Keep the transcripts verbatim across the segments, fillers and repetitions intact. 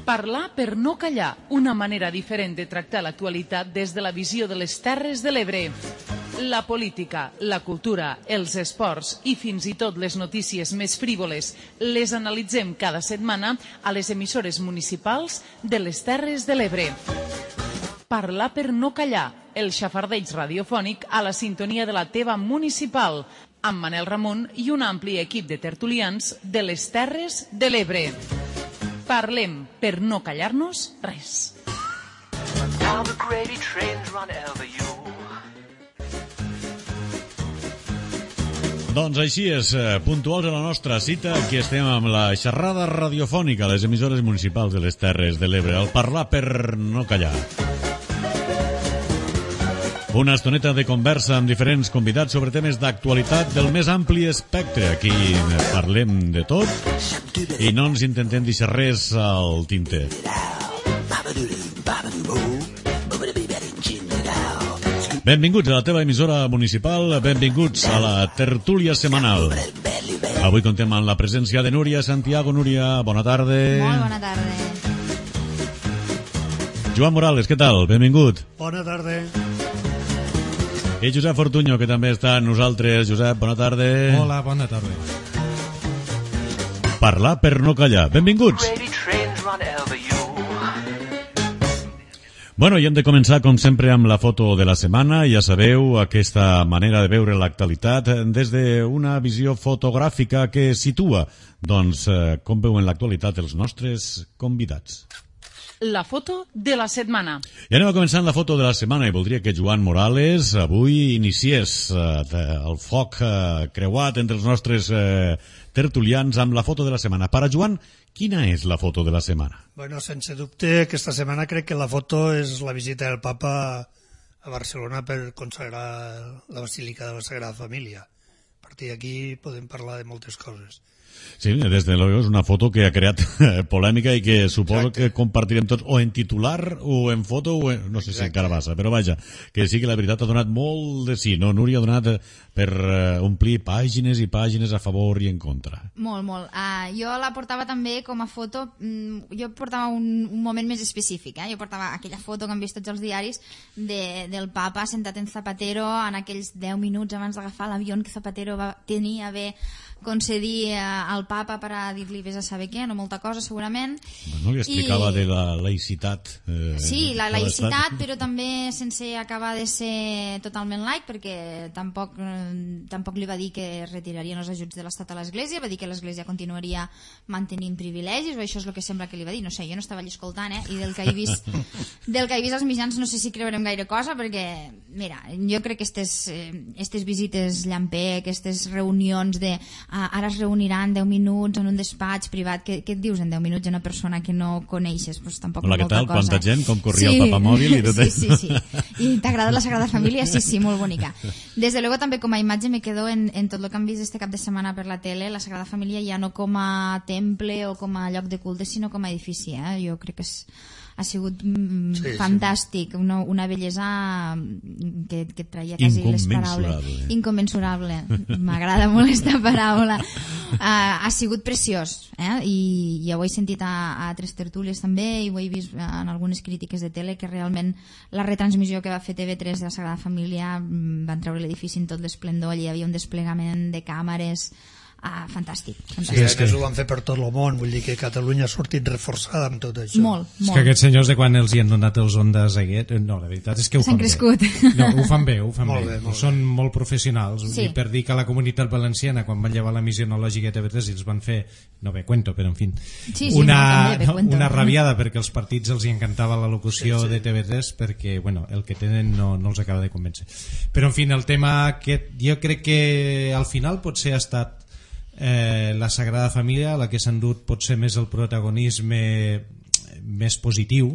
Parlar per no callar, una manera diferent de tractar l'actualitat des de la visió de les Terres de l'Ebre. La política, la cultura, els esports i fins i tot les notícies més frívoles les analitzem cada setmana a les emissores municipals de les Terres de l'Ebre. Parlar per no callar, el xafardeig radiofònic a la sintonia de la teva municipal, amb Manel Ramon i un ampli equip de tertulians de les Terres de l'Ebre. Parlem per no callar-nos res. Doncs així és, puntuals a la nostra cita, aquí estem amb la xerrada radiofònica a les emissores municipals de les Terres de l'Ebre, el parlar per no callar. Una estoneta de conversa amb diferents convidats sobre temes d'actualitat del més ampli espectre. Aquí parlem de tot i no ens intentem deixar res al tinter. Benvinguts a la teva emissora municipal, benvinguts a la tertúlia setmanal. Avui contem amb la presència de Núria Santiago. Núria, bona tarda. Molt bona tarda. Joan Morales, què tal? Benvingut. Bona tarda. I Josep Fortuño, que també està amb nosaltres. Josep, bona tarda. Hola, bona tarda. Parlar per no callar. Benvinguts. Bueno, i hem de començar, com sempre, amb la foto de la setmana. Ja sabeu, aquesta manera de veure l'actualitat des d'una visió fotogràfica que situa, doncs, com veuen l'actualitat els nostres convidats. La foto de la setmana. I anem a començar amb la foto de la setmana i voldria que Joan Morales avui iniciés eh, el foc eh, creuat entre els nostres eh, tertulians amb la foto de la setmana. Per a Joan, quina és la foto de la setmana? Bueno, sense dubte, aquesta setmana crec que la foto és la visita del papa a Barcelona per consagrar la Basílica de la Sagrada Família. A partir d'aquí podem parlar de moltes coses. Sí, des de luego és una foto que ha creat polèmica i que suposo Exacte. que compartirem tots o en titular o en foto o en... no sé Exacte. si encara passa, però vaja, que sí que la veritat ha donat molt de sí, no? Núria ha donat per uh, omplir pàgines i pàgines a favor i en contra. Molt, molt. Uh, jo la portava també com a foto, mm, jo portava un, un moment més específic, eh? Jo portava aquella foto que han vist tots els diaris de, del papa sentat en Zapatero en aquells deu minuts abans d'agafar l'avió que Zapatero va tenir a bé concedir al papa per a dir-li vés a saber què, no molta cosa segurament. Bueno, li explicava I... de la laïcitat. Eh, sí, la laïcitat, però també sense acabar de ser totalment laic, perquè tampoc, eh, tampoc li va dir que retirarien els ajuts de l'Estat a l'Església, va dir que l'Església continuaria mantenint privilegis, o això és el que sembla que li va dir, no sé, jo no estava allà escoltant, eh? I del que he vist, del que he vist als mitjans no sé si creurem gaire cosa, perquè, mira, jo crec que aquestes, eh, aquestes visites llampé, aquestes reunions de Uh, ara es reuniran deu minuts en un despatx privat. Què, què et dius en deu minuts a una persona que no coneixes? Pues tampoc Hola, què tal? Cosa. Quanta gent? Com corria sí. el papamòbil? I tot sí, sí, sí. I t'ha agradat la Sagrada Família? Sí, sí, molt bonica. Des de luego també com a imatge me quedo en, en tot el que hem vist este cap de setmana per la tele, la Sagrada Família ja no com a temple o com a lloc de culte, sinó com a edifici. Eh? Jo crec que és ha sigut mm, sí, fantàstic, sí. Una, una bellesa que, que et traia quasi les paraules. Inconmensurable. M'agrada molt aquesta paraula. Uh, ha sigut preciós, eh? I ja ho he sentit a, a altres tertúlies també i ho he vist en algunes crítiques de tele que realment la retransmissió que va fer T V tres de la Sagrada Família van treure l'edifici en tot l'esplendor, allà hi havia un desplegament de càmeres. Ah, fantàstic, fantàstic. Sí, és que ho van fer per tot el món, vull dir que Catalunya ha sortit reforçada amb tot això. Molt, molt. És que aquests senyors de quan els hi han donat els ondes aquest, no, la veritat és que ho fan bé. S'han crescut. No, ho fan bé, ho fan molt bé. bé molt Són bé. molt professionals. Sí. I per dir que la Comunitat Valenciana, quan van llevar la missió enològica de T V tres, els van fer, no bé, cuento, però en fin, sí, sí, una, no, bé, cuento. una rabiada perquè els partits els hi encantava la locució sí, sí. de T V tres perquè, bueno, el que tenen no, no els acaba de convèncer. Però, en fin, el tema aquest, jo crec que al final potser ha estat Eh, la Sagrada Família la que s'ha endut potser més el protagonisme més positiu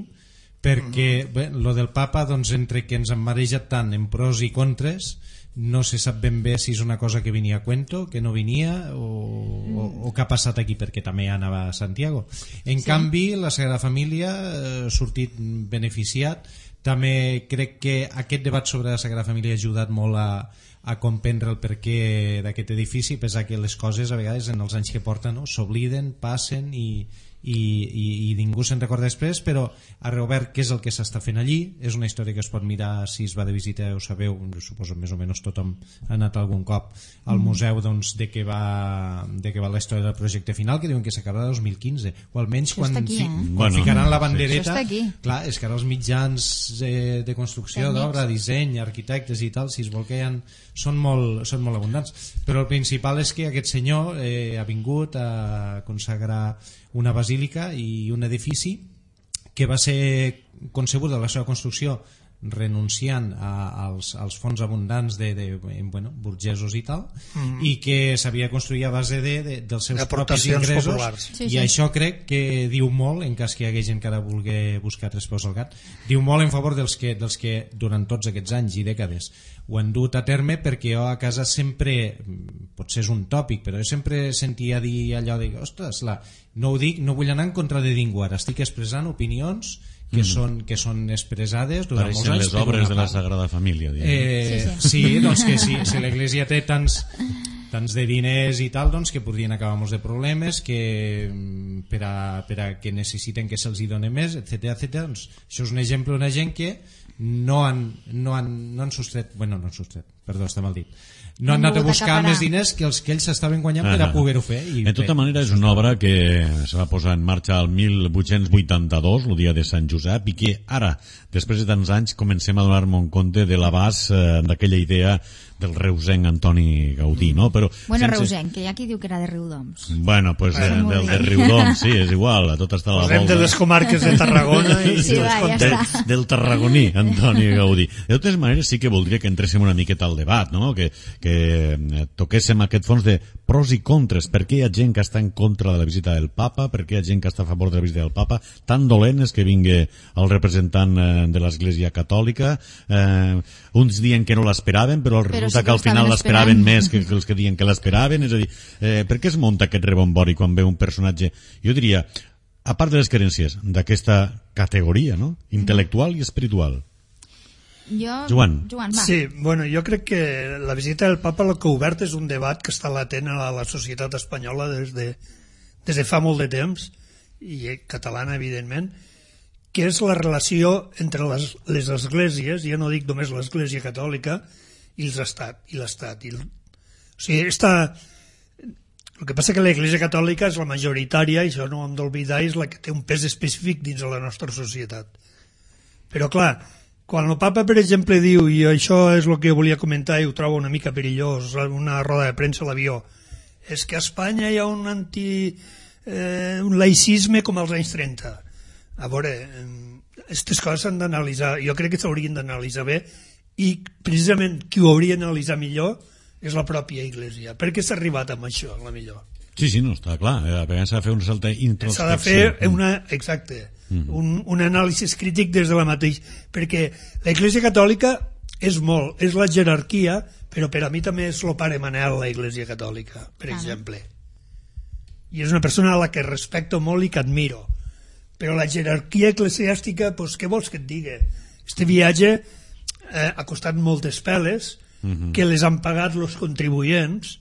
perquè bé, lo del papa doncs, entre que ens han marejat tant en pros i contres no se sap ben bé si és una cosa que venia a cuento, que no venia o, o, o que ha passat aquí perquè també anava a Santiago. En sí. canvi la Sagrada Família ha eh, sortit beneficiat. També crec que aquest debat sobre la Sagrada Família ha ajudat molt a a comprendre el perquè d'aquest edifici, pensar que les coses a vegades en els anys que porten no, s'obliden, passen i, i, i, i ningú se'n recorda després, però ha reobert què és el que s'està fent allí. És una història que es pot mirar si es va de visita, ho sabeu, suposo més o menys tothom ha anat algun cop al museu, doncs, de què va, de què va la història del projecte final, que diuen que s'acabarà el dos mil quinze, o almenys Això quan, està aquí, fi, eh? quan Bueno, ficaran la sí. bandereta. Això està aquí. Clar, és que ara els mitjans de, de construcció, Tècnics. d'obra, disseny, arquitectes i tal, si es vol que hi ha, són, molt, són molt abundants, però el principal és que aquest senyor eh, ha vingut a consagrar una basílica i un edifici que va ser concebut de la seva construcció renunciant a, als, als fons abundants de, de bueno, burgesos i tal, mm. i que s'havia de construir a base de, de, dels seus propis ingressos populars. Sí, i sí. això crec que diu molt, en cas que hi hagués gent que ara vulgui buscar tres peus al gat, diu molt en favor dels que, dels que durant tots aquests anys i dècades ho han dut a terme, perquè jo a casa sempre, potser és un tòpic, però jo sempre sentia dir allò de, ostres, la, no ho dic, no vull anar en contra de ningú, ara estic expressant opinions que, mm. són, que són expressades durant molts anys les obres de la Sagrada Família. Eh, sí, sí. sí, doncs que sí, si l'Església té tants, tants de diners i tal, doncs que podrien acabar molts de problemes, que per a, per a que necessiten que se'ls hi doni més, etcètera, etcètera. Doncs això és un exemple d'una gent que no han, no han, no han sostret, bueno, no han sostret, perdó, està mal dit, no han anat a buscar més diners que els que ells estaven guanyant ah, per a poder-ho fer. I en tota manera és una obra que se va posar en marxa el mil vuit-cents vuitanta-dos, el dia de Sant Josep, i que ara, després de tants anys, comencem a donar-nos compte de l'abast eh, d'aquella idea del reusenc Antoni Gaudí, no? Però bueno, sense... reusenc, que hi ha qui diu que era de Riudoms. Bueno, pues eh, del de Riudoms, sí, és igual, a tot està a la Posem volta. de les comarques de Tarragona i Sí, dels va, ja contents. està. Del tarragoní, Antoni Gaudí. De totes maneres, sí que voldria que entréssim una miqueta al debat, no? Que, que toquéssim aquest fons de pros i contres. Per què hi ha gent que està en contra de la visita del papa? Per què hi ha gent que està a favor de la visita del papa? Tan dolent és que vingui el representant de l'Església Catòlica. Eh, uns diuen que no l'esperaven, però resulta sí que que al final l'estaven l'esperaven esperant. més que, que els que diuen que l'esperaven. És a dir, eh, per què es munta aquest rebombori quan ve un personatge? Jo diria, a part de les carències d'aquesta categoria, no? Intel·lectual i espiritual. Jo, Joan. Joan, va. Sí, bueno, jo crec que la visita del papa el que ha obert és un debat que està latent a la societat espanyola des de, des de fa molt de temps, i catalana, evidentment, que és la relació entre les, les esglésies, ja no dic només l'Església Catòlica, i l'Estat. I l'Estat. I el, o sigui, està... El que passa que l'Església Catòlica és la majoritària, i això no ho hem d'oblidar, és la que té un pes específic dins de la nostra societat. Però, clar, quan el papa, per exemple, diu, i això és el que jo volia comentar i ho trobo una mica perillós, una roda de premsa a l'avió, és que a Espanya hi ha un anti... Eh, un laïcisme com als anys trenta. A veure, aquestes coses s'han d'analitzar, jo crec que s'haurien d'analitzar bé, i precisament qui ho hauria d'analitzar millor és la pròpia Església. Per què s'ha arribat amb això, la millor? Sí, sí, no, està clar. A vegades s'ha de fer una certa introspecció. S'ha de fer una, exacte, mm. un, un anàlisi crític des de la mateixa, perquè l'Església Catòlica és molt, és la jerarquia, però per a mi també és el pare Manel, l'Església Catòlica, per ah, exemple. I és una persona a la que respecto molt i que admiro. Però la jerarquia eclesiàstica, doncs què vols que et digui? Este viatge eh, ha costat moltes peles, uh-huh. que les han pagat els contribuents.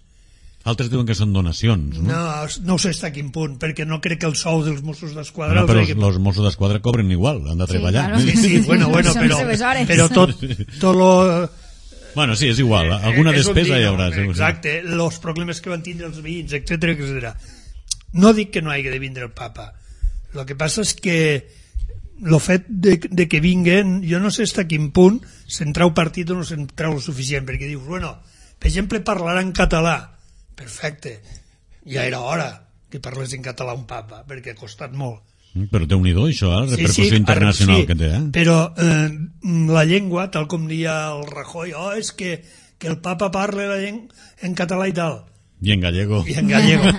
Altres diuen que són donacions, no? No, no sé fins a quin punt, perquè no crec que el sou dels Mossos d'Esquadra... No, però els, que... els Mossos d'Esquadra cobren igual, han de treballar. Sí, claro. Sí, sí, bueno, bueno, però, però tot, tot lo... Bueno, sí, és igual, alguna eh, despesa hi haurà. Exacte, els problemes que van tindre els veïns, etcètera, etcètera. No dic que no hagi de vindre el papa. El que passa és que el fet de, de que vinguen, jo no sé fins a quin punt se'n trau partit o no se'n trau el suficient, perquè dius, bueno, per exemple, parlarà en català. Perfecte, ja era hora que parlés en català un papa, perquè ha costat molt. Però déu-n'hi-do, això, eh? La repercussió sí, sí, internacional sí, que té, eh? Però eh, la llengua, tal com dia el Rajoy, oh, és que, que el papa parla la llengua en català i tal. I en gallego. I en gallego.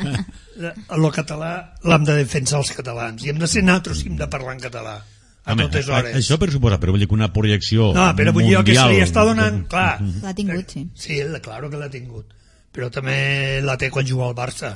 El català l'hem de defensar els catalans, i hem de ser nosaltres que hem de parlar en català a Home, totes hores. Això per suposar, però vull dir que una projecció no, però vull dir mundial... que se li està donant, clar. L'ha tingut, sí. Sí, claro que l'ha tingut. Però també la té quan juga al Barça.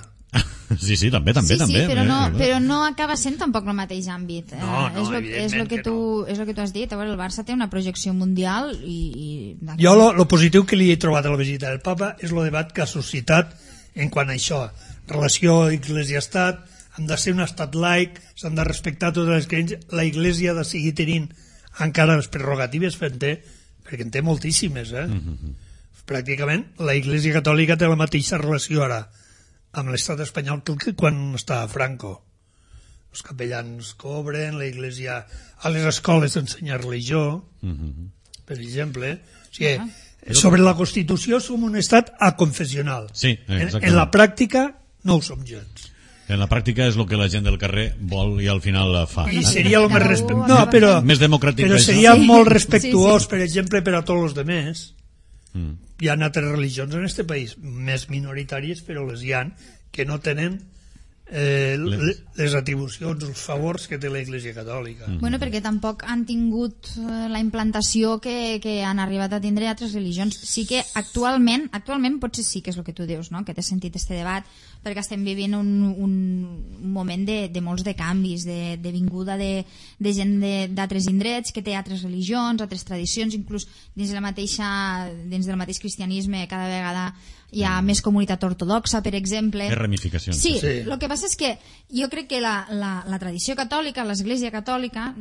Sí, sí, també, també, sí, també. Sí, però no, eh, però no acaba sent tampoc el mateix àmbit. No, no, és lo, evidentment és lo que, que tu, no. és lo que tu has dit. A veure, el Barça té una projecció mundial i... i jo lo, lo positiu que li he trobat a la visita del papa és el debat que ha suscitat en quant a això. Relació Església-Estat, hem de ser un estat laic, s'han de respectar totes les creences, la Iglesia ha de seguir tenint encara les prerrogatives que en té, perquè en té moltíssimes, eh? Mm-hmm. Pràcticament la Iglesia Catòlica té la mateixa relació ara amb l'estat espanyol que quan estava Franco. Els capellans cobren, la Iglesia a les escoles ensenyar religió, mm-hmm. per exemple. O sigui, ah. sobre la Constitució som un estat aconfessional. Sí, en, en la pràctica no ho som gens. En la pràctica és el que la gent del carrer vol i al final la fa. I seria el més respectuós. No, però, més democràtic. Però seria sí. molt respectuós, sí, sí. per exemple, per a tots els demés. Mm. Hi ha altres religions en este país, més minoritàries, però les hi ha, que no tenen eh, les... les atribucions, els favors que té la Iglesia Catòlica. Mm. Bueno, perquè tampoc han tingut eh, la implantació que, que han arribat a tindre altres religions. Sí que actualment, actualment potser sí que és el que tu dius, no? Que té sentit este debat, perquè estem vivint un, un, un moment de, de molts de canvis, de, de vinguda de, de gent d'altres indrets que té altres religions, altres tradicions, inclús dins, la mateixa, dins del mateix cristianisme cada vegada hi ha més comunitat ortodoxa, per exemple. Més ramificacions. Sí, sí, el que passa és que jo crec que la, la, la tradició catòlica, l'Església Catòlica,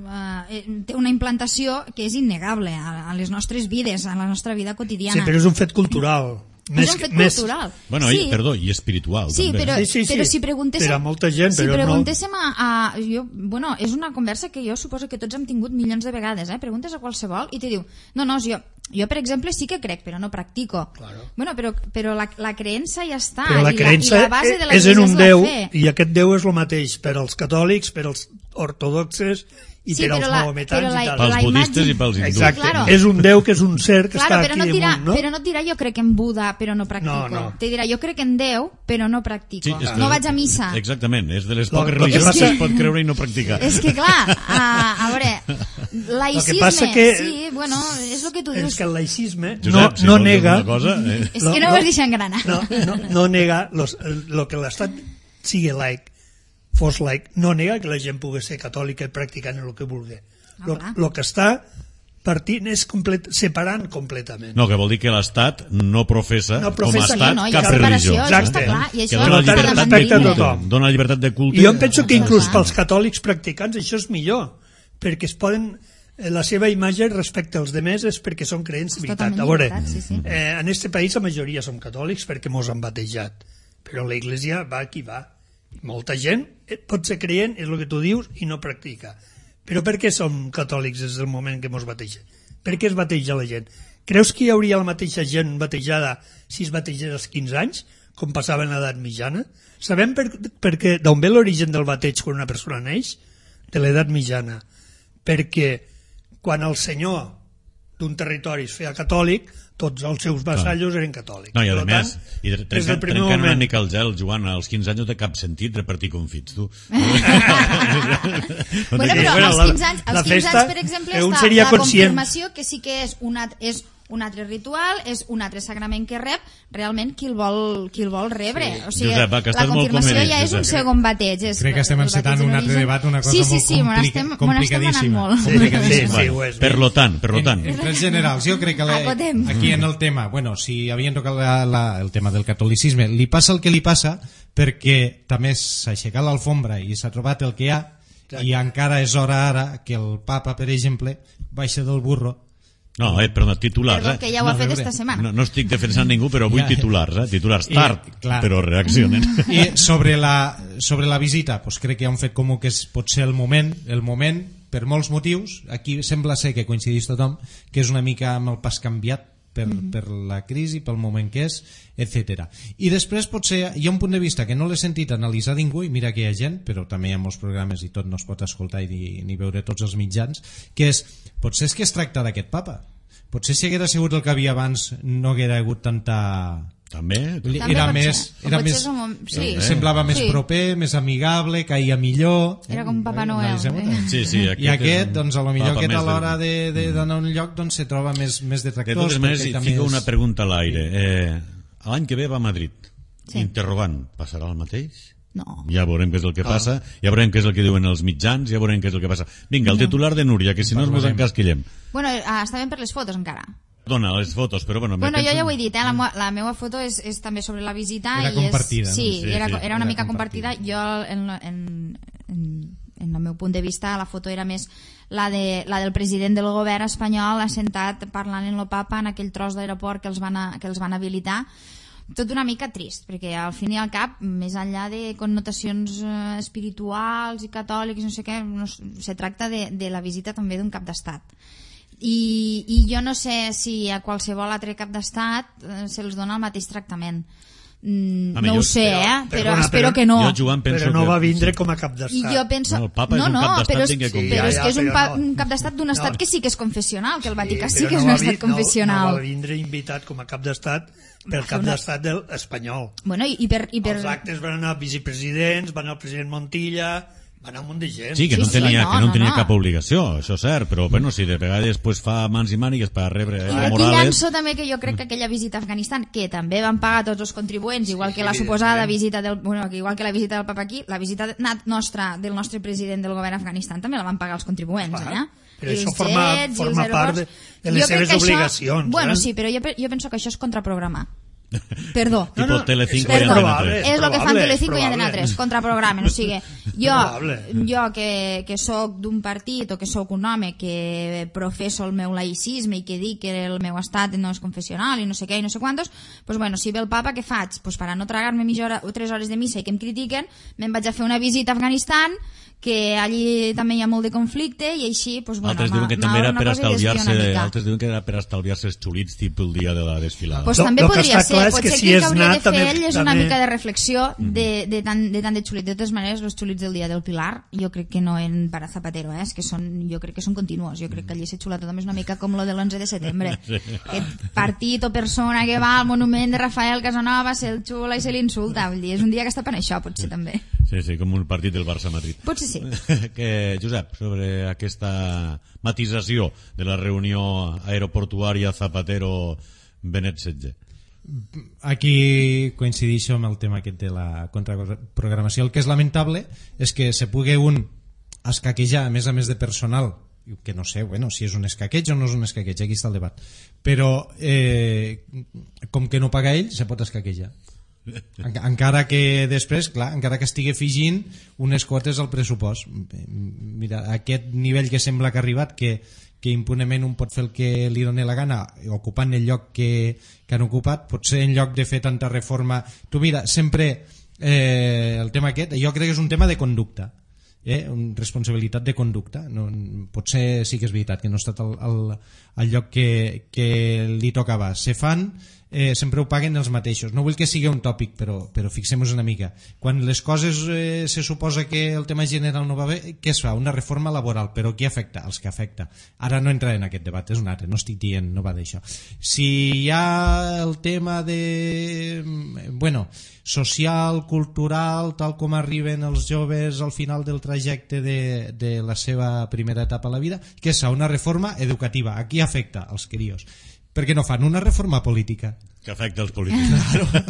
eh, té una implantació que és innegable a, a les nostres vides, a la nostra vida quotidiana. Sí, però és un fet cultural. Més, és un fet més... cultural. Bueno, sí. i, perdó, i espiritual, sí, també. Però, sí, sí, sí. però si preguntéssim... Per a molta gent, si però preguntéssim no... a, a... Jo, bueno, és una conversa que jo suposo que tots hem tingut milions de vegades, eh? Preguntes a qualsevol i te diu, no, no, jo, jo per exemple sí que crec, però no practico. Claro. Bueno, però, però la, la creença ja està. Però la i creença la, i la base de la és en un és Déu, fe. i aquest Déu és el mateix per als catòlics, per als ortodoxes i sí, per als la, maometans la, i tal. Pels budistes i pels hindús. Exacte, claro. és un Déu que és un ser que claro, està però aquí no dirà, damunt, no? Però no et dirà jo crec en Buda, però no practico. No, no. Te dirà jo crec en Déu, però no practico. Sí, no vaig a missa. Exactament, és de les Lo, poques lo religions que passa... es pot creure i no practicar. És que clar, a, a veure, laïcisme, que... sí, bueno, és el que tu dius. És que el laïcisme Josep, no, si no nega... Cosa, eh? És que no ho has deixat engranar. No, no, no nega los, lo que l'Estat sigui laic, fos laic, no nega que la gent pugui ser catòlica i practicant el que vulgui. El Ah, que està partint és complet, separant completament. No, que vol dir que l'Estat no professa, no professa com a Estat no, no, cap religió. religió. Això està clar, i això que dona no llibertat respecte de a culte, tothom. dona llibertat de culte. I jo em penso que inclús Clar. pels catòlics practicants això és millor, perquè es poden la seva imatge respecte als demés és perquè són creents de veritat. A veure, sí, sí. eh, en este país la majoria som catòlics perquè mos han batejat, però la Iglesia va qui va. Molta gent pot ser creient, és el que tu dius, i no practica. Però per què som catòlics des del moment que mos bateja? Per què es bateja la gent? Creus que hi hauria la mateixa gent batejada si es bategés als quinze anys, com passava en l'edat mitjana? Sabem per, per què, d'on ve l'origen del bateig quan una persona neix? De l'edat mitjana. Perquè quan el senyor d'un territori es feia catòlic, tots els seus vassallos eren catòlics. No, i a per més, tant, i trencant, trencant una mica el gel, Joan, als quinze anys no té cap sentit repartir confits, tu. Bueno, però Bueno, als la- quinze anys, la als quinze festa, anys, per exemple, eh, un està seria la conscient. confirmació, que sí que és un, at- és un altre ritual, és un altre sagrament que rep realment qui el vol, qui el vol rebre. Sí. O sigui, Josep, va, que la estàs molt confirmació convenient, ja és un Josep. segon bateig. És Crec que estem el encetant bateig un en altre origen. debat, una cosa sí, sí, molt sí, me n'estem- complica- me n'estem anant complicadíssima. molt. Sí, complicadíssima. sí, sí, ho és. Per lo tant, per lo tant. En, en trets generals, jo crec que la, Acotem. aquí en el tema, bueno, si havien tocat la, la, el tema del catolicisme, li passa el que li passa perquè també s'ha aixecat l'alfombra i s'ha trobat el que hi ha. Exacte. I encara és hora ara que el papa, per exemple, baixa del burro. No, eh, perdona, titulars, Perdó, eh? que ja ho ha No, fet veure, esta setmana. No, no estic defensant ningú, però vull Ja. titulars, eh? Titulars tard, I, clar. però reaccionen. I sobre la, sobre la visita, pues crec que hi ha un fet comú que és potser el moment, el moment, per molts motius, aquí sembla ser que coincideix tothom, que és una mica amb el pas canviat per, mm-hmm. per la crisi, pel moment que és, etcètera. I després potser hi ha un punt de vista que no l'he sentit analitzar ningú, i mira que hi ha gent, però també hi ha molts programes i tot no es pot escoltar i ni, ni veure tots els mitjans, que és, potser és que es tracta d'aquest papa. Potser si haguera sigut el que havia abans no haguera hagut tanta... També? També Era pot més, ser. O era potser més és un mom- sí. eh, semblava més Sí. proper, més amigable, caia millor. Era com Papa Noel. Analitzem-ho Eh? tot. Sí, sí, I aquest, és doncs, a lo millor papa aquest a més l'hora del- de, de, d'anar a un lloc doncs, se troba més, més De detractors. totes maneres, perquè hi també fico és- una pregunta a l'aire. Eh, L'any que ve va a Madrid. Sí. Interrogant, passarà el mateix? No. Ja veurem què és el que passa, ja veurem què és el que diuen els mitjans, ja veurem què és el que passa. Vinga, el titular de Núria, que si no ens Parlarem. encasquillem. Bueno, ah, està ben per les fotos encara. Dona les fotos, però bueno... Bueno, penso... jo ja ho he dit, eh? la, meva, la meva foto és, és també sobre la visita. Era i compartida, és, no? sí, Sí, era, sí, era una era mica compartida. compartida. Jo, en, en, en, en el meu punt de vista, la foto era més la, de, la del president del govern espanyol assentat parlant en lo papa en aquell tros d'aeroport que, els van a, que els van habilitar. Tot una mica trist, perquè al fin i al cap, més enllà de connotacions eh, espirituals i catòlics, no sé què, no, se tracta de, de la visita també d'un cap d'estat. I, i jo no sé si a qualsevol altre cap d'estat eh, se'ls dona el mateix tractament. Mm, Home, no jo- ho sé, però- eh? perdona, però espero però que no. Jo, Joan, penso Però no que... va vindre com a cap I d'estat. jo penso... No, el Papa és no, un no, cap d'estat però és, vinga, sí, com- però és Ja, que és un, ja, pa, però no. un cap d'estat d'un estat No. que sí que és confessional, que el Vaticà sí, però que és no un va estat vi- no- confessional. No, va vindre invitat com a cap d'estat pel cap d'estat del espanyol. Bueno, i, i per... I per... Els actes van anar vicepresidents, van anar el president Montilla, va anar un munt de gent. Sí, que no Sí, sí, tenia, no, que no, no, tenia no. cap obligació, això és cert, però bueno, si de vegades pues, fa mans i mànigues per rebre I Evo aquí Morales... llanço també que jo crec que aquella visita a Afganistan, que també van pagar tots els contribuents, igual Sí, que la sí, suposada evidentment. visita del, bueno, que igual que la visita del Papa aquí, la visita de- nat- nostra del nostre president del govern a Afganistan també la van pagar els contribuents, Clar, eh? però I això els forma- jets i els forma part de- aeroports. de les Jo crec seves que això- obligacions, Bueno, eh? sí, però jo, pe- jo penso que això és contraprogramar. Perdó. Tipo No, no, Telecinco és i Perdó, Antena probable. tres. és el que fan probable, Telecinco i és Antena probable. tres, contraprogramen. O sigui, jo, Probable. jo que, que sóc d'un partit o que sóc un home que professo el meu laïcisme i que dic que el meu estat no és confessional i no sé què i no sé quantos, pues bueno, si ve el papa, què faig? Pues per a no tragar-me mitja hora o tres hores de missa i que em critiquen, me'n vaig a fer una visita a Afganistan, que allí també hi ha molt de conflicte i així, pues bueno, Altres diuen que també m'abre era una per cosa i desvio estalviar-se una mica. altres diuen que era per estalviar-se els xulits tipus el dia de la desfilada. Pues Lo- també lo que podria està ser, clar és potser que que, si el és que hauria nat, de fer també- ell és una també- mica de reflexió de, de, tant, de tant de xulit. De totes maneres, els xulits del dia del Pilar, jo crec que no en para Zapatero, eh? És que són, jo crec que són continuos. Jo crec que allí s'ha xulat tothom és una mica com lo de l'onze de setembre. Sí. Aquest partit o persona que va al monument de Rafael Casanova, se'l xula i se l'insulta. Vull dir, és un dia que està per això, potser també. Sí, sí, com un partit del Barça-Madrid. Potser sí. que, Josep, sobre aquesta matisació de la reunió aeroportuària Zapatero-Benet setze. Aquí coincideixo amb el tema aquest de la contraprogramació. El que és lamentable és que se pugui un escaquejar, a més a més de personal, que no sé, bueno, si és un escaqueig o no és un escaqueig, aquí està el debat, però eh, com que no paga ell, se pot escaquejar. En- encara que després, clar, encara que estigui afegint unes quotes al pressupost. Mira, aquest nivell que sembla que ha arribat, que, que impunement un pot fer el que li doni la gana ocupant el lloc que, que han ocupat, potser en lloc de fer tanta reforma, tu mira, sempre eh, el tema aquest, jo crec que és un tema de conducta, eh? Una responsabilitat de conducta. No, potser sí que és veritat que no ha estat al, al, al lloc que, que li tocava. Se fan, eh, sempre ho paguen els mateixos. No vull que sigui un tòpic, però, però fixem-nos una mica. Quan les coses eh, se suposa que el tema general no va bé, què es fa? Una reforma laboral, però qui afecta? Els que afecta. Ara no entraré en aquest debat, és un altre, no estic dient, no va d'això. Si hi ha el tema de... bueno, social, cultural, tal com arriben els joves al final del trajecte de, de la seva primera etapa a la vida, què és? Una reforma educativa. A qui afecta? Els crios. Per què no fan una reforma política? Que afecta els polítics.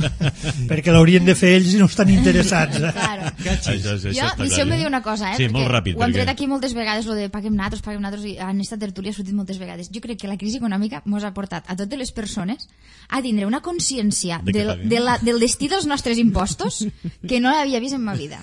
Perquè l'haurien de fer ells i no estan interessats. Eh? Claro. Això, això, això Jo, està deixeu-me clar, dir una cosa, eh? Sí, perquè molt ràpid. ho hem tret perquè- aquí moltes vegades, lo de paguem natos, paguem natos, i en esta tertúlia ha sortit moltes vegades. Jo crec que la crisi econòmica mos ha portat a totes les persones a tindre una consciència De que del, paguem. de la, del destí dels nostres impostos que no l'havia vist en ma vida.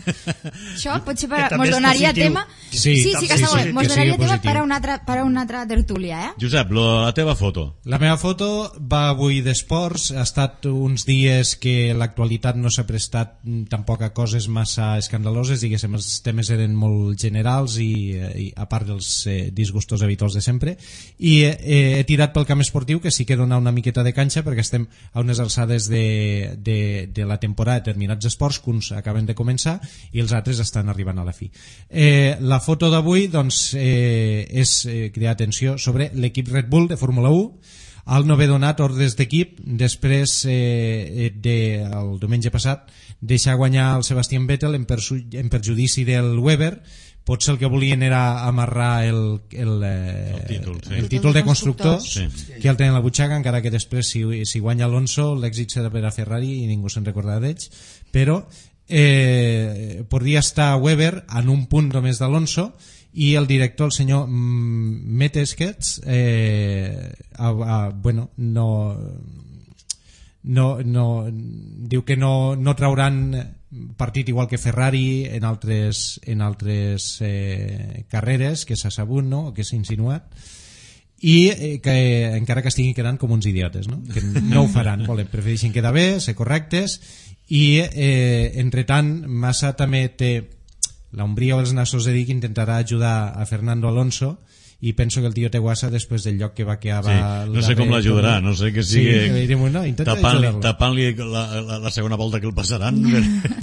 Això potser per, Que també mos és donaria positiu. tema... Sí, sí, sí, també que és està molt bé. positiu. Mos Que donaria sigui tema positiu. per a una altra, per a una altra tertúlia, eh? Josep, lo, la teva foto. La meva foto va avui d'esports, ha estat uns dies que l'actualitat no s'ha prestat mm, tampoc a coses massa escandaloses, diguéssim, els temes eren molt generals i, eh, i a part dels eh, disgustos habituals de sempre, i eh, he tirat pel camp esportiu, que sí que dona una miqueta de canxa perquè estem a unes alçades de, de, de la temporada de determinats esports, que uns acaben de començar i els altres estan arribant a la fi. Eh, la foto d'avui doncs, eh, és eh, cridar atenció sobre l'equip Red Bull de Fórmula u. El no haver donat ordres d'equip després eh, de, el diumenge passat, deixar guanyar el Sebastian Vettel en, perju en perjudici del Weber. Potser el que volien era amarrar el, el, eh, El títol, sí. el títol de constructor, Sí. que el tenen a la butxaca, encara que després si, si guanya Alonso l'èxit serà per a Ferrari i ningú se'n recordarà d'ells, però eh, podria estar Weber en un punt només d'Alonso, i el director, el senyor Meteskets, eh, a, a, bueno, no, no, no, diu que no, no trauran partit igual que Ferrari en altres, en altres eh, carreres que s'ha sabut, no?, o que s'ha insinuat, i eh, que encara que estiguin quedant com uns idiotes, no? Que no ho faran, volen, prefereixen quedar bé, ser correctes, i eh, entre tant Massa també té la umbria o els nassos de dir que intentarà ajudar a Fernando Alonso, i penso que el tio té guassa després del lloc que va quedar. Sí, no sé com l'ajudarà, no sé que sigui sí, no, tapant-li tapant la, la, la segona volta que el passaran,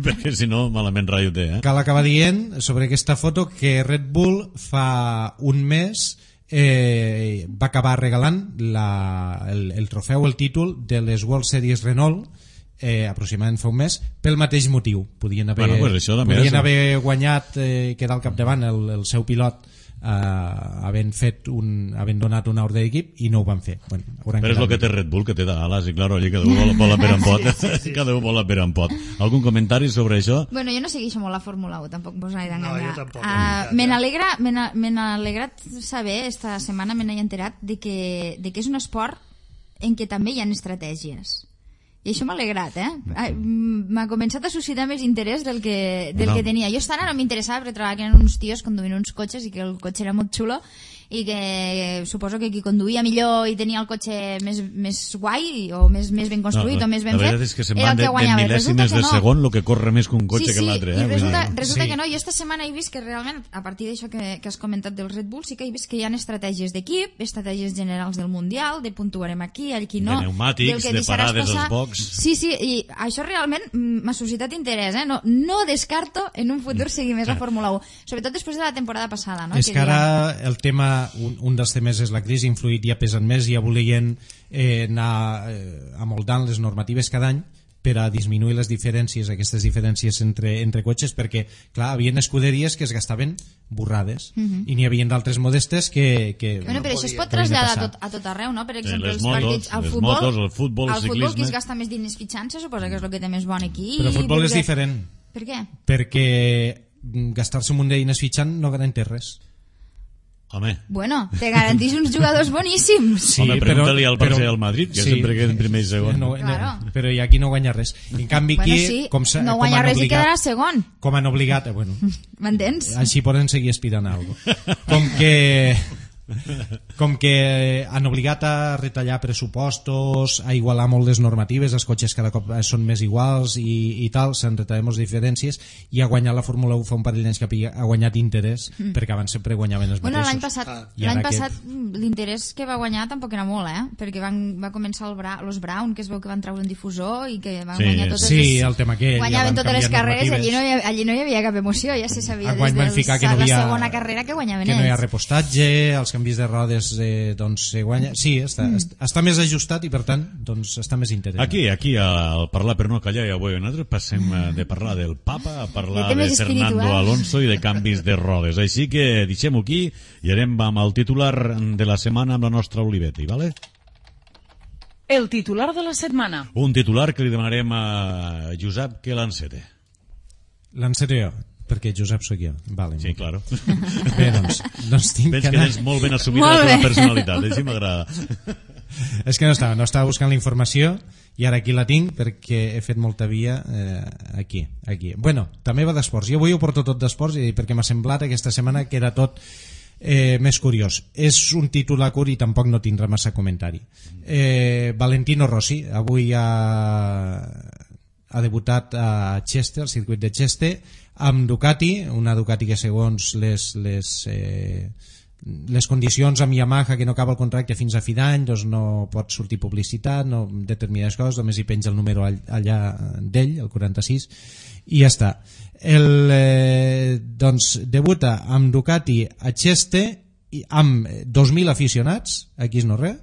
perquè si no malament rai ho té. Eh? Cal acabar dient sobre aquesta foto que Red Bull fa un mes eh, va acabar regalant la, el, el trofeu, el títol de les World Series Renault, eh, aproximadament fa un mes, pel mateix motiu. Podien haver, bueno, pues això podien és... haver guanyat, eh, quedar al capdavant el, el seu pilot, Uh, havent fet un, havent donat una ordre d'equip, i no ho van fer. Bueno, però és el que té Red Bull, que té d'ales, i claro, allí cada un vol, vol a per en pot. Sí, sí, sí. Cada un vol a per en pot. Algun comentari sobre això? Bueno, jo no segueixo molt la Fórmula u, tampoc vos he d'enganyar. No, jo tampoc. Uh, me n'alegra, me n'ha alegrat saber, esta setmana me n'he enterat de que, de que és un esport en què també hi ha estratègies. I això m'ha alegrat, eh? M'ha començat a suscitar més interès del que, del no. que tenia. Jo estant no m'interessava perquè trobava que eren uns tios conduint uns cotxes i que el cotxe era molt xulo, i que suposo que qui conduïa millor i tenia el cotxe més, més guai o més, més ben construït no, o més ben fet, la veritat és que se'n van de, de mil·lèsimes de no. segon el que corre més que un cotxe sí, que sí, l'altre. Sí, eh? i resulta, Vull dir, resulta sí. que no. Jo esta setmana he vist que realment, a partir d'això que, que has comentat del Red Bull, sí que he vist que hi ha estratègies d'equip, estratègies generals del Mundial, de puntuarem aquí, aquí no. De pneumàtics, de parades als box. Sí, sí, i això realment m'ha suscitat interès, eh? No, no descarto en un futur seguir més la Fórmula u, sobretot després de la temporada passada, no? És que, que ara dia... el tema, un, un dels temes és la crisi, influït, ja pesen més, ja volien eh, anar eh, amoldant les normatives cada any per a disminuir les diferències, aquestes diferències entre, entre cotxes, perquè, clar, hi havia escuderies que es gastaven burrades, uh -huh. i n'hi havia d'altres modestes que... que bueno, però no això es pot traslladar a tot, a tot arreu, no? Per exemple, les els motos, partits, al les futbol, motos, el futbol, el al ciclisme... futbol qui es gasta més diners fitxant, se suposa que és el que té més bon equip. Però el futbol perquè... és diferent. Per què? Perquè gastar-se un munt de diners fitxant no garanteix res. Home. Bueno, te garantís uns jugadors boníssims. Sí, Home, pregunta-li al Barça i al Madrid, que sí, sempre queda en primer i segon. No, claro. no, però aquí no guanya res. En canvi, aquí... Bueno, sí, com no guanya res obligat, i quedarà segon. Com han obligat... Bueno, m'entens? així poden seguir aspirant a alguna cosa. Com que... com que han obligat a retallar pressupostos, a igualar molt les normatives, els cotxes cada cop són més iguals i, i tal, s'han retallat moltes diferències, i ha guanyat la Fórmula u fa un parell d'anys que ha guanyat interès, mm. perquè abans sempre guanyaven els bueno, mateixos. L'any passat, ah. l'any passat que... l'interès que va guanyar tampoc era molt, eh? Perquè van, va començar el Bra, los Brown, que es veu que van treure un difusor i que van sí, guanyar totes sí, les... el tema que guanyaven ja totes les carreres, allí no, ha... allí no hi havia cap emoció, ja se sabia des de no la segona carrera que guanyaven que ells. No hi ha repostatge, els canvis de rodes eh, doncs se guanya, sí, està, mm. està més ajustat i per tant doncs està més interessant. Aquí, aquí al parlar per no callar, ja avui nosaltres passem de parlar del Papa a parlar de, de Fernando Alonso i de canvis de rodes, així que deixem-ho aquí i anem amb el titular de la setmana amb la nostra Olivetti, vale? El titular de la setmana. Un titular que li demanarem a Josep que l'encete. L'enceto jo, perquè Josep sóc jo. Vale, sí, claro. Bé, doncs, doncs tinc Veig que anar... que tens molt ben assumida la teva personalitat, així m'agrada. És que no estava, no estava buscant la informació i ara aquí la tinc perquè he fet molta via eh, aquí, aquí. Bueno, també va d'esports. Jo avui ho porto tot d'esports i perquè m'ha semblat aquesta setmana que era tot eh, més curiós. És un titular curt i tampoc no tindrà massa comentari. Eh, Valentino Rossi avui ha, ha debutat a Chester, al circuit de Chester, amb Ducati, una Ducati que segons les, les, eh, les condicions amb Yamaha, que no acaba el contracte fins a fi d'any, doncs no pot sortir publicitat, no determinades coses, només hi penja el número allà d'ell, el quaranta-sis, i ja està. El, eh, doncs debuta amb Ducati a Cheste amb dos mil aficionats, aquí és no res,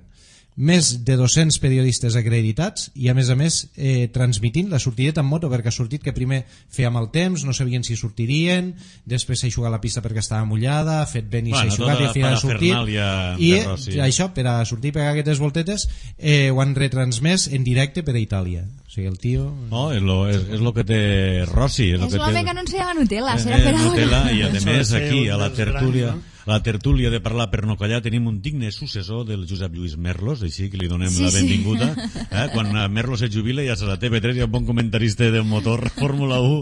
més de dos-cents periodistes acreditats i a més a més eh, transmitint la sortideta en moto, perquè ha sortit que primer feia mal temps, no sabien si sortirien, després s'ha eixugat la pista perquè estava mullada, ha fet vent i Bueno, s'ha eixugat tota i al final la ha sortit parafernàlia i de Rossi. això, per a sortir i pegar aquestes voltetes eh, ho han retransmès en directe per a Itàlia, o sigui el tio No, és lo, és, és lo que té Rossi. És, lo És que l'home té... que anunciava Nutella, Eh, serà per Nutella, ara. i a Això més va ser aquí un a la dels tertúlia grans, a la tertúlia de parlar per no callar tenim un digne successor del Josep Lluís Merlos, així que li donem Sí, la sí. benvinguda eh? Quan eh, Merlos es jubila ja serà T V tres i un bon comentarista de motor, Fórmula u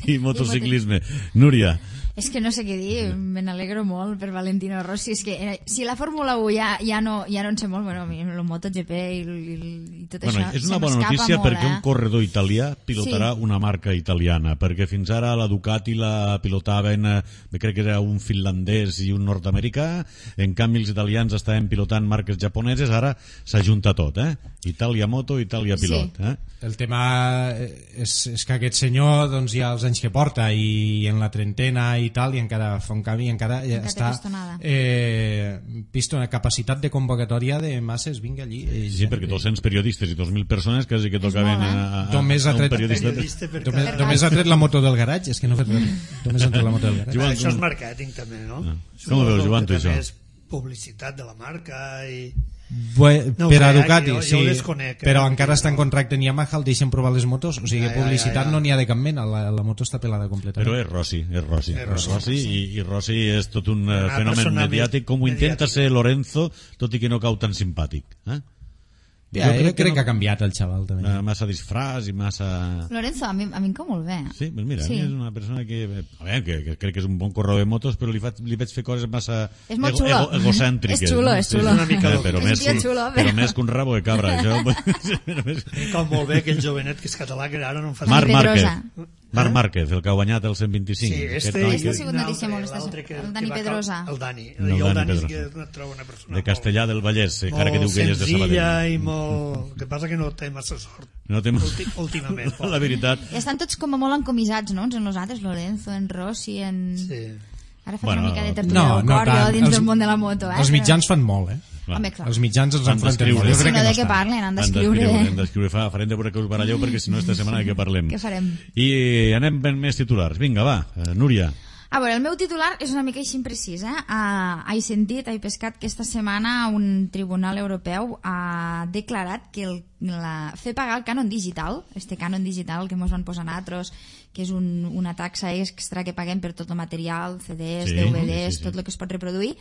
i motociclisme. Núria, És que no sé què dir, me n'alegro molt per Valentino Rossi. És que eh, si la Fórmula u ja, ja, no, ja no en sé molt, bueno, el MotoGP i, i, i tot bueno, això és se una bona m'escapa notícia molt, perquè eh? un corredor italià pilotarà Sí. una marca italiana, perquè fins ara la Ducati la pilotaven, eh, crec que era un finlandès i un nord-americà, en canvi els italians estaven pilotant marques japoneses, ara s'ajunta tot, eh? Itàlia Moto, Itàlia Pilot. Sí. Eh? el tema és, és que aquest senyor doncs, ja els anys que porta i en la trentena i tal i encara fa un canvi i encara, ja Encara té està pistonada. eh, pistona, capacitat de convocatòria de masses, vinga allí eh, Sí, perquè dos-cents periodistes i dos mil persones quasi que tocaven molt, eh? a, a, a, Només ha a un tret- periodista. Periodista per només, cada... només ha tret la moto del garatge, és que no ha fet res. Només ha tret la moto del garatge. Joan, Això és com- màrqueting també, no? Ah. Suposo Com ho veus, que Joan, tu, també això? és publicitat de la marca i... Bue, No ho per a sé, Ducati, jo- jo sí, ho desconec, eh? però encara està en contracte en Yamaha, el deixen provar les motos, o sigui, Ja, ja, publicitat ja, ja. no n'hi ha de cap mena, la, la moto està pelada completament. Però és Rossi, és Rossi, És és Rossi, Rossi, i, i Rossi és tot un eh, Una fenomen persona mediàtic, com ho intenta mediàtica. ser Lorenzo, tot i que no cau tan simpàtic. Eh? Ja, jo crec, crec que no- ha canviat el xaval també. eh, massa disfràs i massa... Lorenzo, a mi, a mi em cau molt bé. Sí, pues mira, Sí. sí. És una persona que, a veure, que, que crec que és un bon corredor de motos, però li, fa, li veig fer coses massa És molt xulo. egocèntriques. És xulo, no? és xulo. Sí, És una mica eh, loco. però, És més, un tio que- xulo, però però- més que un rabo de cabra. Això, però més- Com molt bé aquell jovenet que és català, que ara no em fa... Marc Dani Márquez. Pedrosa. Marc Márquez, el que ha guanyat el cent vint-i-cinc. Sí, Aquest este, noi Aquesta que- ha sigut i notícia molt esta- l'altre que- el que Dani va cal- Pedrosa. El Dani. El I el Dani Dani és Pedrosa. que no trobo una persona de Castellà del Vallès, molt, encara que diu que ell és de molt senzilla Sabadell. i molt... El que passa que no té massa sort. No té... Ulti- últimament, pobre. La veritat. I estan tots com molt encomissats, no? Uns en nosaltres, Lorenzo, en Rossi, en... Sí. Ara faig Bueno, una mica de tertúlia No, del no cor, jo, tant. dins Els- del món de la moto, eh? Els Però- mitjans fan molt, eh? Home, clar. Els mitjans els Han enfronten d'escriure. molt. Jo Si crec no, que de no què estan. parlen? Han Han d'escriure... d'escriure, hem d'escriure, fa, farem de veure que us baralleu, perquè si no esta setmana de què parlem. Què farem? I anem ben més titulars. Vinga, va, eh, Núria. A veure, el meu titular és una mica així imprecís, eh? Uh, he sentit, he pescat que esta setmana un tribunal europeu ha declarat que el, la, fer pagar el cànon digital, este cànon digital que ens van posar nosaltres, que és un, una taxa extra que paguem per tot el material, C Ds, Sí, D V Ds, sí, sí. tot el que es pot reproduir,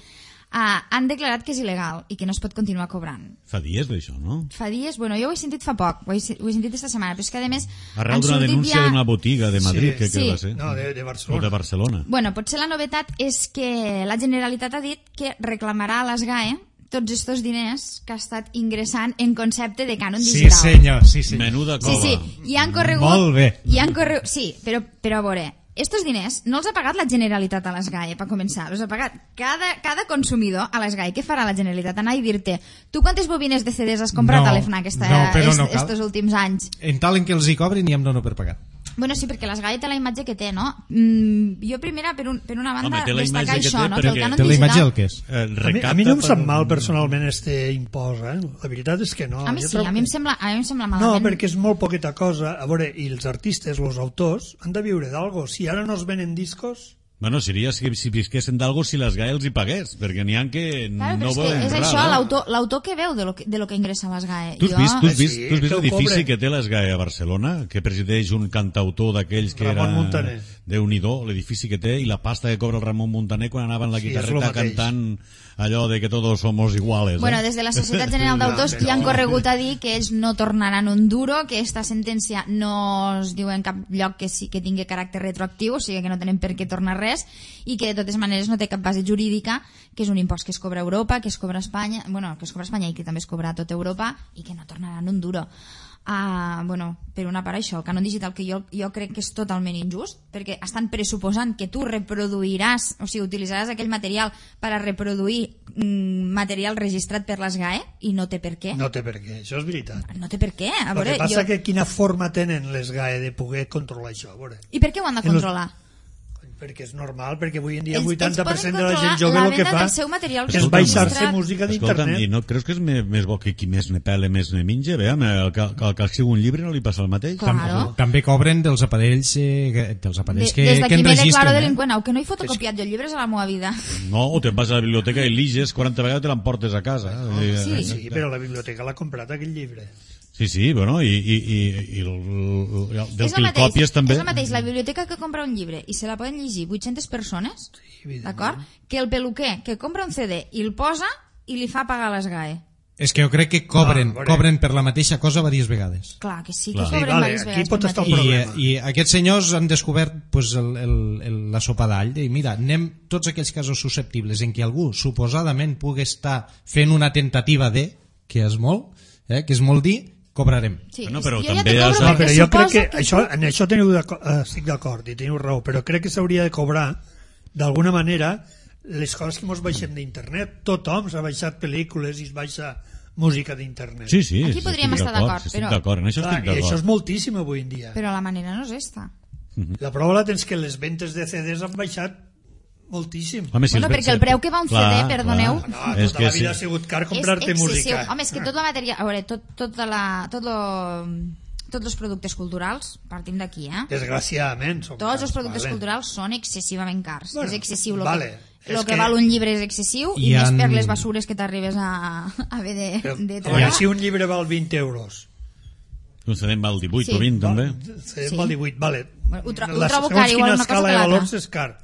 uh, han declarat que és il·legal i que no es pot continuar cobrant. Fa dies d'això, no? Fa dies, bueno, jo ho he sentit fa poc, ho he, ho he sentit esta setmana, però és que a més... Arrel han d'una sortit denúncia ja- d'una botiga de Madrid, Sí. que, que Sí. va ser. No, de, de O Barcelona. de Barcelona. Bueno, potser la novetat és que la Generalitat ha dit que reclamarà a l'ESGAE tots estos diners que ha estat ingressant en concepte de cànon Sí, digital. senyor, sí, senyor. Menuda Sí, cova. sí, i han corregut... Molt bé. I han corregut... Sí, però, però a veure, estos diners no els ha pagat la Generalitat a l'ESGAE, per començar. Els ha pagat cada, cada consumidor a l'ESGAE. Què farà la Generalitat? Anar i dir-te, tu quantes bobines de C Ds has comprat No, a l'EFNAC esta, no, però no est, cal. estos últims anys? En tal en què els hi cobrin i em dono per pagar. Bueno, sí, perquè l'ESGAE té la imatge que té, no? Mm, jo primera, per, un, per una banda, Home, té la destacar imatge que això, té no? perquè- Que el cànon Té la imatge digital... del que és. Eh, A mi, recapta a mi no em sap per- mal personalment este impost, eh? La veritat és que no. A mi Jo sí, trobo a mi que- em sembla, a mi em sembla No, malament. perquè és molt poqueta cosa. A veure, i els artistes, els autors, han de viure d'algo. Si ara no es venen discos... Bueno, seria si, si visquessin d'algo si les GAE els hi pagués, perquè n'hi ha que Claro, no però és, volen que és res, això, no? l'autor l'autor que veu de lo que, de lo que ingressa a l'ESGAE. Tu has vist, tu has Sí, vist, tu has vist que ho l'edifici cobre. que té l'ESGAE a Barcelona, que presideix un cantautor d'aquells que Ramon era... Muntaner. Déu-n'hi-do, l'edifici que té, i la pasta que cobra el Ramon Muntaner quan anava en la Sí, és lo guitarreta mateix. cantant allò de que todos somos iguales. Bueno, eh? des de la Societat General d'Autors No, però- ja han corregut a dir que ells no tornaran un duro, que esta sentència no es diu en cap lloc que sí que tingui caràcter retroactiu, o sigui que no tenen per què tornar res, i que de totes maneres no té cap base jurídica, que és un impost que es cobra a Europa, que es cobra a Espanya, bueno, que es cobra a Espanya i que també es cobra a tota Europa, i que no tornaran un duro. Uh, bueno, per una part això, el cànon digital, que jo, jo crec que és totalment injust, perquè estan pressuposant que tu reproduiràs, o sigui, utilitzaràs aquell material per a reproduir mm, material registrat per l'ESGAE, i no té per què. No té per què, això és veritat. No té per què. A El veure, que passa jo... que quina forma tenen les GAE de poder controlar això, a veure. I per què ho han de En los- controlar? perquè és normal, perquè avui en dia el Ells- vuitanta per ells cent poden de la gent controlar jove la el que venda fa del seu material és Escolta'm, baixar-se registrat. música Escolta'm, d'internet. i no creus que és més, més bo que qui més ne pele, més ne menja? Veam, el que, el que sigui un llibre no li passa el mateix? Claro. També cobren dels aparells, eh, dels aparells que, Des que d'aquí me declaro enregistren. Eh? delinqüent, aunque no he fotocopiat jo llibres a la meva vida. No, o te'n vas a la biblioteca i liges quaranta vegades i te l'emportes a casa. Eh, Sí. Sí, però la biblioteca l'ha comprat aquell llibre. Sí, sí, bueno, i, i, i, i el, el, el, del És que el el mateix, copies també... és el mateix la biblioteca que compra un llibre i se la poden llegir vuit-centes persones, evidentment. d'acord? Que el peluquer que compra un C D i el posa i li fa pagar les G A E. És que jo crec que cobren, Ah, veure. cobren per la mateixa cosa diverses vegades. Clar que sí, que Clar. Sí, cobren vale, diverses aquí vegades pot pel estar el mateix. I, problema. I aquests senyors han descobert pues, el, el, el, la sopa d'all i mira, anem tots aquells casos susceptibles en què algú suposadament pugui estar fent una tentativa de, que és molt, eh, que és molt dir, cobrarem. Sí, Bueno, però jo ja també te has- cobro No, No, perquè però jo crec suposo que, això, en això teniu d'acord, eh, estic d'acord i teniu raó, però crec que s'hauria de cobrar d'alguna manera les coses que mos baixem d'internet. Tothom s'ha baixat pel·lícules i es baixa música d'internet. Sí, sí, Aquí sí, podríem estic estar d'acord, sí, estic però- d'acord, en això Clar, estic i això és d'acord. moltíssim avui en dia. Però la manera no és esta. La prova la tens que les ventes de C Ds han baixat moltíssim. Home, si Bueno, els perquè el ven- preu que va un Clar, C D, perdoneu. clar. No, És tota que la vida sí. ha sigut car És comprar-te excessiu. música. Home, és que tot la matèria... A veure, tot, tota la, tot lo, tots els productes culturals, partim d'aquí, eh? Desgraciadament. Són Tots cars, els productes vale. culturals són excessivament cars. Bueno, és excessiu. Lo vale. que, lo És que, que- val un llibre és excessiu i, I més han- per les basures que t'arribes a, a haver de, Però, de a treure. veure, si un llibre val vint euros, Un C D en val divuit Sí. o vint, també. se Sí. val divuit, vale. Bueno, ho tro- ho La- trobo segons car, igual quina una cosa escala que de l'altra. valors és car.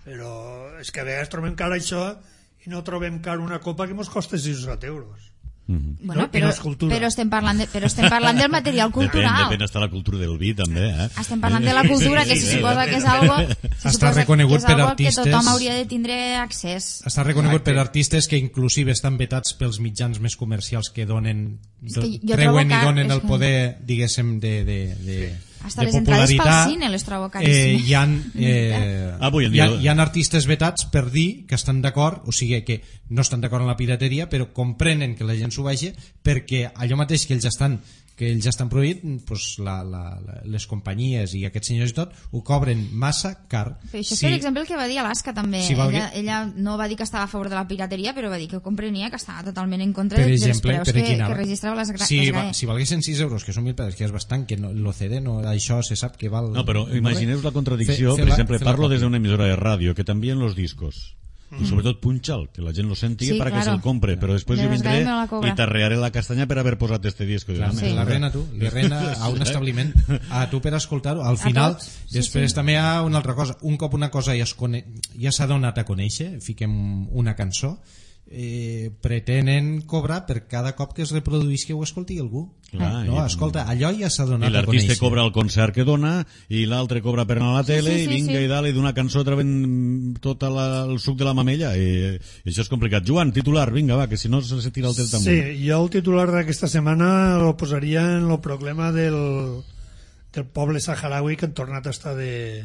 Però és que a vegades trobem car això i no trobem car una copa que ens costa seixanta euros. Mhm. Bueno, No, i però, no és cultura. però, estem parlant de, però estem parlant del material Depèn, cultural. depèn està la cultura del vi, també, eh? Estem parlant de la cultura, que Sí, se sí, suposa depèn, que és depèn. algo, se Està suposa reconegut que és per algo artistes. que tothom hauria de tindre accés. Està reconegut Exacte. per artistes que inclusive estan vetats pels mitjans més comercials que donen, És que jo treuen trobo i car- donen és el que- poder, diguéssim, de, de, de, Hasta de les entrades pel popularitat. cine les trobo Eh, caríssimes. hi, ha, eh, Avui en hi, ha, dia- hi ha artistes vetats per dir que estan d'acord, o sigui que no estan d'acord amb la pirateria, però comprenen que la gent s'ho vegi perquè allò mateix que ells estan que ells estan prohibit, pues, la, la, la, les companyies i aquests senyors i tot ho cobren massa car. Però això és Sí. per exemple el que va dir Alaska també. Si valgui- ella, ella no va dir que estava a favor de la pirateria, però va dir que comprenia que estava totalment en contra Per de, dels exemple, preus per que, aquí anava. que registrava les, gra- si, les va, G A E. si valguessin sis euros, que són mil pesos, que és bastant, que no, el C D, no, això se sap que val... No, però imagineu la contradicció, Fer- fer per la- exemple, fer la parlo còpia. des d'una emissora de ràdio, que t'envien los discos. Y sobretot punxa'l, que la gent lo senti Sí, para que claro. se'l compre, però després De jo les vindré ganes me la cobra. i t'arrearé la castanya per haver posat este disco. Clar, Home, la rena, tu, li rena a un establiment, a tu per escoltar-ho. Al final, tots, sí, després sí. també hi ha una altra cosa. Un cop una cosa ja es cone... ja s'ha donat a conèixer, fiquem una cançó, eh, pretenen cobrar per cada cop que es reproduïsqui o escolti algú. Clar, no, i- escolta, allò ja s'ha I donat a l'artista conèixer. cobra el concert que dona i l'altre cobra per anar a la tele sí, sí, i vinga sí. i dalt i d'una cançó treuen tot la, el suc de la mamella i, i això és complicat. Joan, titular, vinga va, que si no se tira el temps damunt. Sí, jo el titular d'aquesta setmana el posaria en el problema del, del poble saharaui que han tornat a estar de,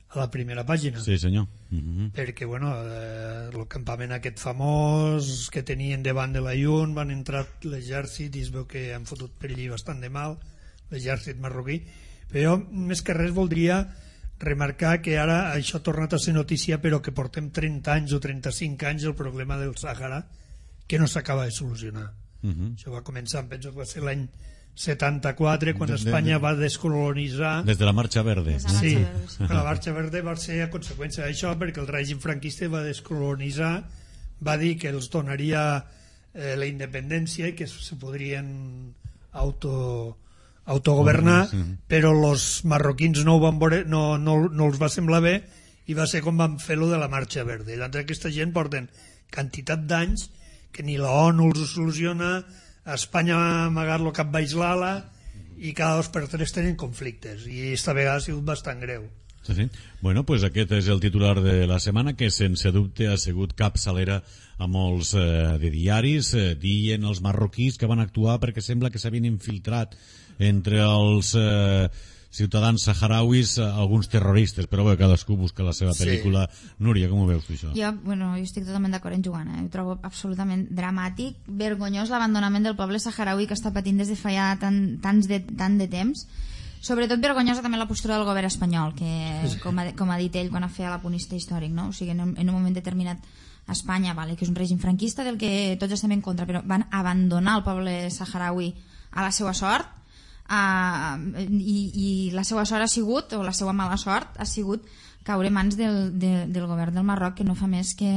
a la primera pàgina. Sí, senyor. Mhm. Perquè, bueno, eh, el campament aquest famós que tenien davant de la I U N, van entrar l'exèrcit i es veu que han fotut per allí bastant de mal, l'exèrcit marroquí. Però jo, més que res, voldria remarcar que ara això ha tornat a ser notícia, però que portem trenta anys o trenta-cinc anys el problema del Sàhara, que no s'acaba de solucionar. Mhm. Això va començar, em penso que va ser l'any setanta-quatre, quan De- de- Espanya de- va descolonitzar. Des de la Marxa Verde. Des de la Sí, Marxa Verde, sí. la Marxa Verde va ser a conseqüència d'això, perquè el règim franquista va descolonitzar, va dir que els donaria eh, la independència i que se podrien auto, autogovernar, Sí. però els marroquins no, ho van veure, no, no, no els va semblar bé i va ser com van fer-lo de la Marxa Verde. I l'altra, aquesta gent porten quantitat d'anys que ni la ONU els ho soluciona, a Espanya ha amagat el cap baix l'ala i cada dos per tres tenen conflictes i esta vegada ha sigut bastant greu. Sí, sí. Bueno, pues aquest és el titular de la setmana, que sense dubte ha sigut capçalera a molts eh, de diaris, eh, dient els marroquís que van actuar perquè sembla que s'havien infiltrat entre els eh, ciutadans saharauis eh, alguns terroristes, però bé, cadascú busca la seva Sí. pel·lícula. Núria, com ho veus tu això? Jo, bueno, jo estic totalment d'acord amb Joan, eh? Ho trobo absolutament dramàtic, vergonyós l'abandonament del poble saharaui que està patint des de fa ja tant, tants de, tant de temps. Sobretot vergonyosa també la postura del govern espanyol, que com ha, com ha dit ell quan ha fet l'apunista històric, no? O sigui, en un, en un moment determinat a Espanya, vale, que és un règim franquista del que tots estem en contra, però van abandonar el poble saharaui a la seva sort, uh, i, i la seva sort ha sigut, o la seva mala sort ha sigut caure en mans del, de, del govern del Marroc, que no fa més que,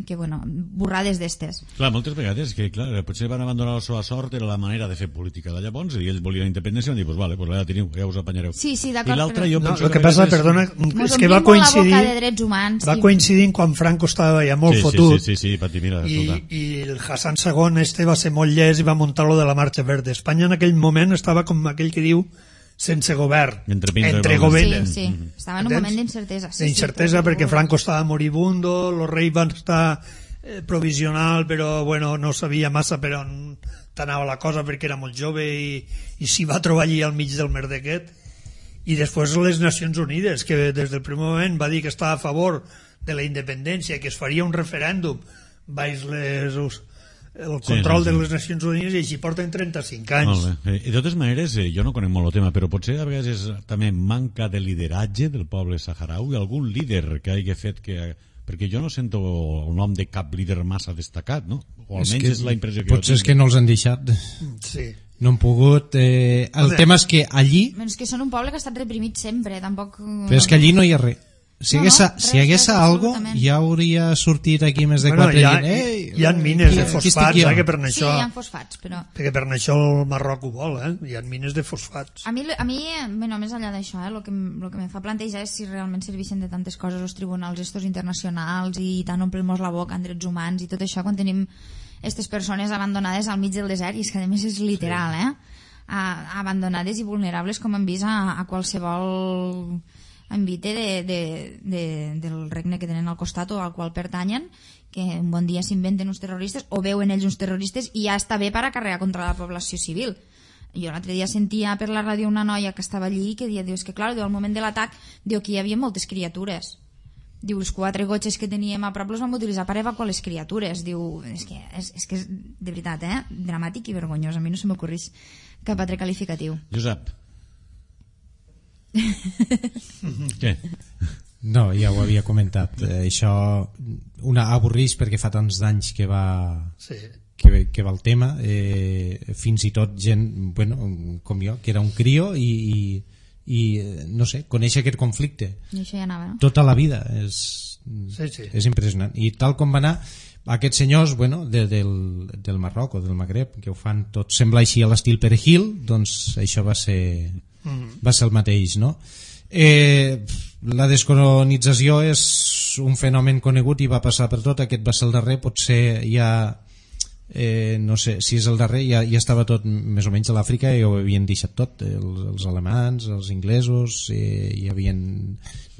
que bueno, borrades d'estes. Clar, moltes vegades que clar, potser van abandonar la seva sort, era la manera de fer política de llavors, i ells volien independència, i van dir, pues vale, pues ja teniu, ja us apanyareu. Sí, sí, d'acord. I l'altre, però... jo No, penso el que que passa, vegades... perdona, és que va coincidir, la boca de drets humans, va i... coincidir quan Franco estava ja molt sí, fotut, sí, sí, sí, sí, Pati, mira, i, escolta. i el Hassan segon este va ser molt llest i va muntar lo de la Marxa Verde. Espanya en aquell moment estava com aquell que diu sense govern, Entre pins i entre bromes. govern. Sí, sí, estava en un moment d'incertesa. Sí, d'incertesa sí, perquè però- Franco estava moribundo, los reis van estar eh, provisional, però bueno, no sabia massa per on anava la cosa perquè era molt jove i, i s'hi va trobar allí al mig del merder aquest. I després les Nacions Unides, que des del primer moment va dir que estava a favor de la independència, que es faria un referèndum baix les, el control sí, sí, sí. de les Nacions Unides, i així porten trenta-cinc anys. Molt bé. Eh, de totes maneres, eh, jo no conec molt el tema, però potser a vegades és també manca de lideratge del poble saharaui, algun líder que hagi fet que... Perquè jo no sento el nom de cap líder massa destacat, no? O almenys és, que, és la impressió que potser jo és que no els han deixat, Sí. no han pogut. Eh, el Home. tema és que allí, Però és que són un poble que ha estat reprimit sempre, tampoc... però és que allí no hi ha res. Si No, hagués, no, si res, hagués res, algo, absolutament. ja hauria sortit aquí més de Bueno, quatre hi ha, gent. Ei, hi ha mines qui- de qui estic fosfats, jo? eh, que per Sí, això, hi ha fosfats, però... perquè per això el Marroc ho vol, eh? Hi ha mines de fosfats. A mi, a mi bueno, més enllà d'això, eh, el que, em- lo que me fa plantejar és si realment serveixen de tantes coses els tribunals estos internacionals i tant omplim-nos la boca en drets humans i tot això quan tenim aquestes persones abandonades al mig del desert, i és que a més és literal, eh? A, abandonades i vulnerables com hem vist a, a qualsevol envite de, de, de, del regne que tenen al costat o al qual pertanyen, que un bon dia s'inventen uns terroristes o veuen ells uns terroristes i ja està bé per acarrear contra la població civil. Jo l'altre dia sentia per la ràdio una noia que estava allí i que dia, diu, és que clar, diu, al moment de l'atac diu que hi havia moltes criatures. Diu, els quatre gotxes que teníem a prop els vam utilitzar per evacuar les criatures. Diu, és que és, és, que és de veritat, eh? Dramàtic i vergonyós. A mi no se m'ocorrís cap altre qualificatiu. Josep. Què? No, ja ho havia comentat. Eh, això una avorreix perquè fa tants d'anys que va Sí. que, que va el tema, eh, fins i tot gent, bueno, com jo, que era un crio i, i, i no sé, conèixer aquest conflicte I això ja anava, no? tota la vida és, Sí, sí. és impressionant. I tal com va anar aquests senyors, bueno, de, del, del Marroc o del Magreb, que ho fan tot sembla així a l'estil Perejil, doncs això va ser va ser el mateix, no? Eh, la descolonització és un fenomen conegut i va passar per tot. Aquest va ser el darrer, potser ja eh, no sé si és el darrer, ja, ja estava tot més o menys a l'Àfrica i ho havien deixat tot, els, els alemans, els inglesos, eh, i havien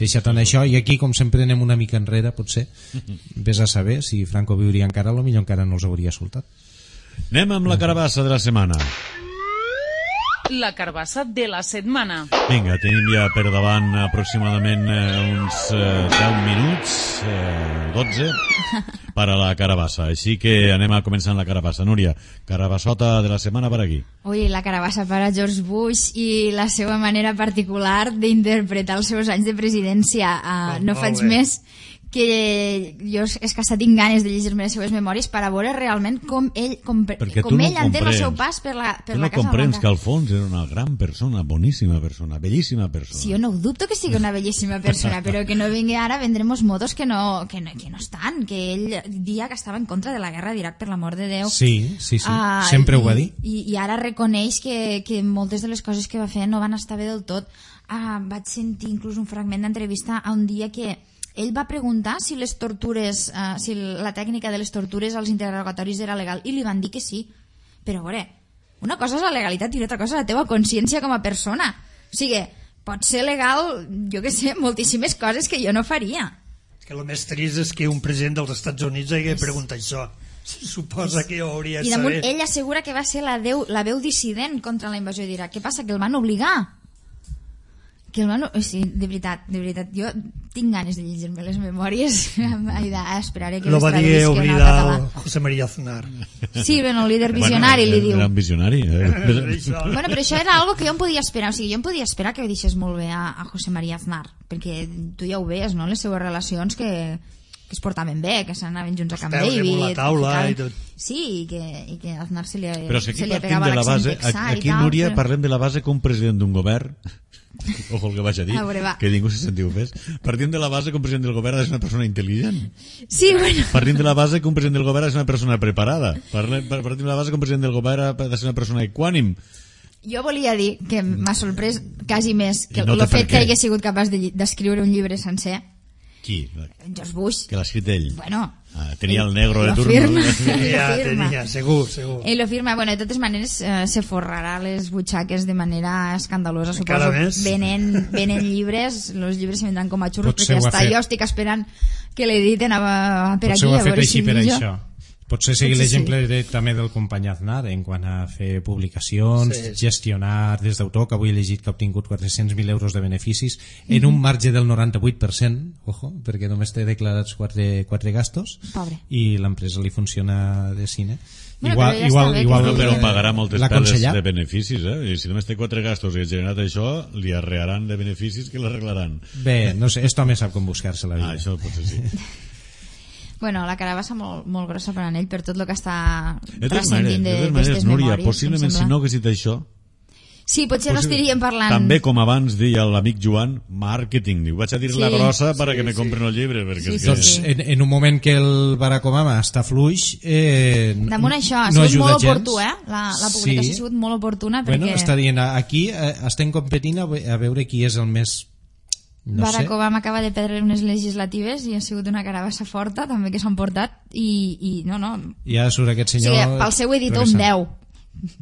deixat en això, i aquí com sempre anem una mica enrere, potser vés a saber si Franco viuria encara, a lo millor encara no els hauria soltat. Anem amb la carabassa de la setmana. La carbassa de la setmana. Vinga, tenim ja per davant aproximadament eh, uns eh, deu minuts, eh, dotze, per a la carabassa. Així que anem a començar amb la carabassa. Núria, carabassota de la setmana per aquí. Ui, la carabassa per a George Bush i la seva manera particular d'interpretar els seus anys de presidència. Uh, Oh, no molt faig bé. més que jo és que hasta tinc ganes de llegir-me les seves memòries per a veure realment com ell, com, Perquè tu com no ell entén el comprens. seu pas per la, per Tu la no Casa comprens Blanca. que al fons era una gran persona, boníssima persona, bellíssima persona. Si jo no ho dubto que sigui una bellíssima persona, però que no vingui ara a vendre'ns motos que no, que, no, que no estan, que ell dia que estava en contra de la guerra d'Iraq, per l'amor de Déu. Sí, sí, sí, Ah, sempre i, ho va dir. I, i ara reconeix que, que moltes de les coses que va fer no van estar bé del tot. Ah, vaig sentir inclús un fragment d'entrevista a un dia que ell va preguntar si les tortures, uh, si la tècnica de les tortures als interrogatoris era legal, i li van dir que sí. Però, a veure, una cosa és la legalitat i una altra cosa és la teva consciència com a persona. O sigui, pot ser legal, jo que sé, moltíssimes coses que jo no faria. És que el més trist és que un president dels Estats Units hagi preguntat això. Suposa que ho hauria de I damunt saber. ell assegura que va ser la, deu, la veu dissident contra la invasió d'Iraq. Què passa? Que el van obligar. que el meu... Sí, de veritat, de veritat, jo tinc ganes de llegir-me les memòries, esperaré que Lo les va dir traduïsquen al oblidar català. José María Aznar. Sí, bueno, el líder visionari bueno, li diu. Era un visionari. Eh? Bueno, però això era algo que jo em podia esperar, o sigui, jo em podia esperar que ho deixés molt bé a, a José María Aznar, perquè tu ja ho veies, no?, les seues relacions que, que es portaven bé, que s'anaven junts a Camp Peus David. damunt la taula ficaven... i tot. Sí, i que, i que Aznar se li, Però si aquí se li partim pegava de la l'accent base, texà i aquí, tal, Núria, però... parlem de la base com president d'un govern. Ojo el que vaig a dir, A veure, va. que ningú se sentiu fes. Partim de la base que un president del govern és una persona intel·ligent. Sí, bueno... Partim de la base que un president del govern és una persona preparada. Parlem, partim de la base que un president del govern ha de ser una persona equànim. Jo volia dir que m'ha sorprès quasi més que I no el té per fet que què. hagués sigut capaç de- d'escriure un llibre sencer, Qui? George Bush. Que l'ha escrit ell. Bueno, Ah, tenia el negro de lo turno. firma. Tenia, Lo firma. tenia, segur, segur. Ell lo firma. Bueno, de totes maneres, eh, se forrarà les butxaques de manera escandalosa, Encara suposo. més. Venen, venen llibres, els llibres se vendran com a xurros, Potser perquè ho ha hasta fet. jo estic esperant que l'editen a, a, per Potser aquí, ho ha a fet veure així si per millor. això. Potser seguir Potser sí. l'exemple de, també del company Aznar en quant a fer publicacions, Sí. gestionar des d'autor, que avui he llegit que ha obtingut quatre-cents mil euros de beneficis en un marge del noranta-vuit per cent, ojo, perquè només té declarats quatre, quatre gastos Pobre. i l'empresa li funciona de cine. Bueno, igual, però ja igual, està bé igual, que No, però eh, pagarà moltes l'ha perdes aconsellat. de beneficis, eh? I si només té quatre gastos i ha generat això, li arrearan de beneficis que l'arreglaran. Bé, no sé, esto home sap com buscar-se la vida. Ah, això potser sí. Bueno, la carabassa molt, molt grossa per a ell, per tot el que està De totes maneres, transcendint de de- totes maneres, d'estes Núria, memòries. possiblement em si sembla. no hagués dit això, Sí, potser no possible- estaríem parlant... també com abans deia l'amic Joan, màrqueting. Diu, vaig a dir la Sí. grossa per a Sí, que me sí. compren el llibre. Perquè Sí, és sí, que... Doncs sí. en, en un moment que el Barack Obama està fluix, eh, Damunt això, ha no sigut ajuda molt gens. oportú, eh? La, la publicació Sí. ha sigut molt oportuna perquè Bueno, està dient, aquí eh, estem competint a, ve- a veure qui és el més... No Barack sé. Obama acaba de perdre unes legislatives i ha sigut una carabassa forta també que s'han portat i, i no, no, Ja surt aquest o senyor... sigui, pel seu editor un travessant. deu,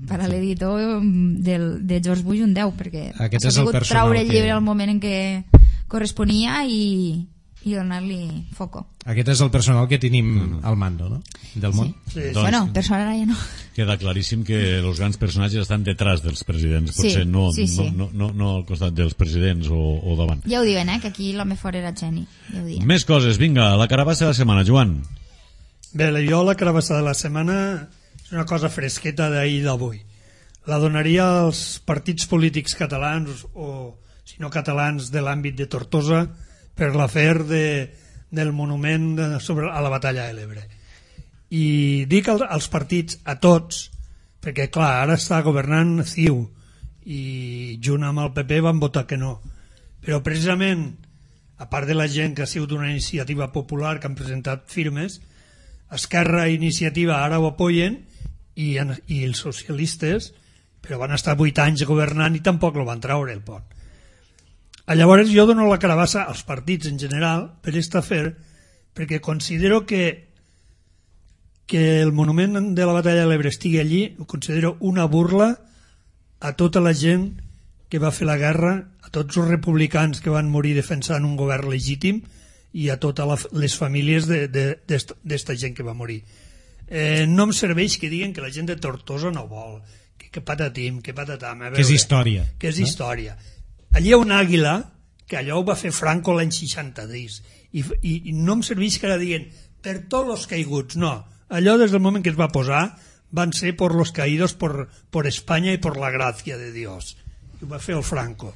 per a l'editor del, de George Bush un deu, perquè Aquest ha és el sabut personal traure el que- llibre al moment en què corresponia i, i donar-li foco. Aquest és el personal que tenim al mando, no? Del món. Sí, Doncs- Bueno, per sort ara ja no. Queda claríssim que els grans personatges estan detrás dels presidents, Sí, potser no, sí, sí. no, no, no, no al costat dels presidents o, o davant. Ja ho diuen, eh, que aquí l'home fort era geni, ja ho diuen. Més coses, vinga, la carabassa de la setmana, Joan. Bé, jo la carabassa de la setmana és una cosa fresqueta d'ahir i d'avui. La donaria als partits polítics catalans o, si no catalans, de l'àmbit de Tortosa per l'afer de, del monument de, sobre, a la batalla de l'Ebre. I dic als, als partits, a tots, perquè clar, ara està governant C I U i junt amb el P P van votar que no. Però precisament, a part de la gent que ha sigut una iniciativa popular que han presentat firmes, Esquerra i Iniciativa ara ho apoyen i, en, i els socialistes, però van estar vuit anys governant i tampoc el van treure el pont. Llavors jo dono la carabassa als partits en general per aquest afer, perquè considero que que el monument de la batalla de l'Ebre estigui allí, ho considero una burla a tota la gent que va fer la guerra, a tots els republicans que van morir defensant un govern legítim i a totes les famílies d'esta gent que va morir. Eh, no em serveix que diguen que la gent de Tortosa no vol, que, que patatim, que patatam. A veure, Que és història. Que és no? història. Allí hi ha un àguila, que allò ho va fer Franco l'any seixanta-dos, i, i, i no em serveix que ara diguen per tots els caiguts, no. Allò des del moment que es va posar van ser por los caídos por, por España y por la gracia de Dios. I ho va fer el Franco.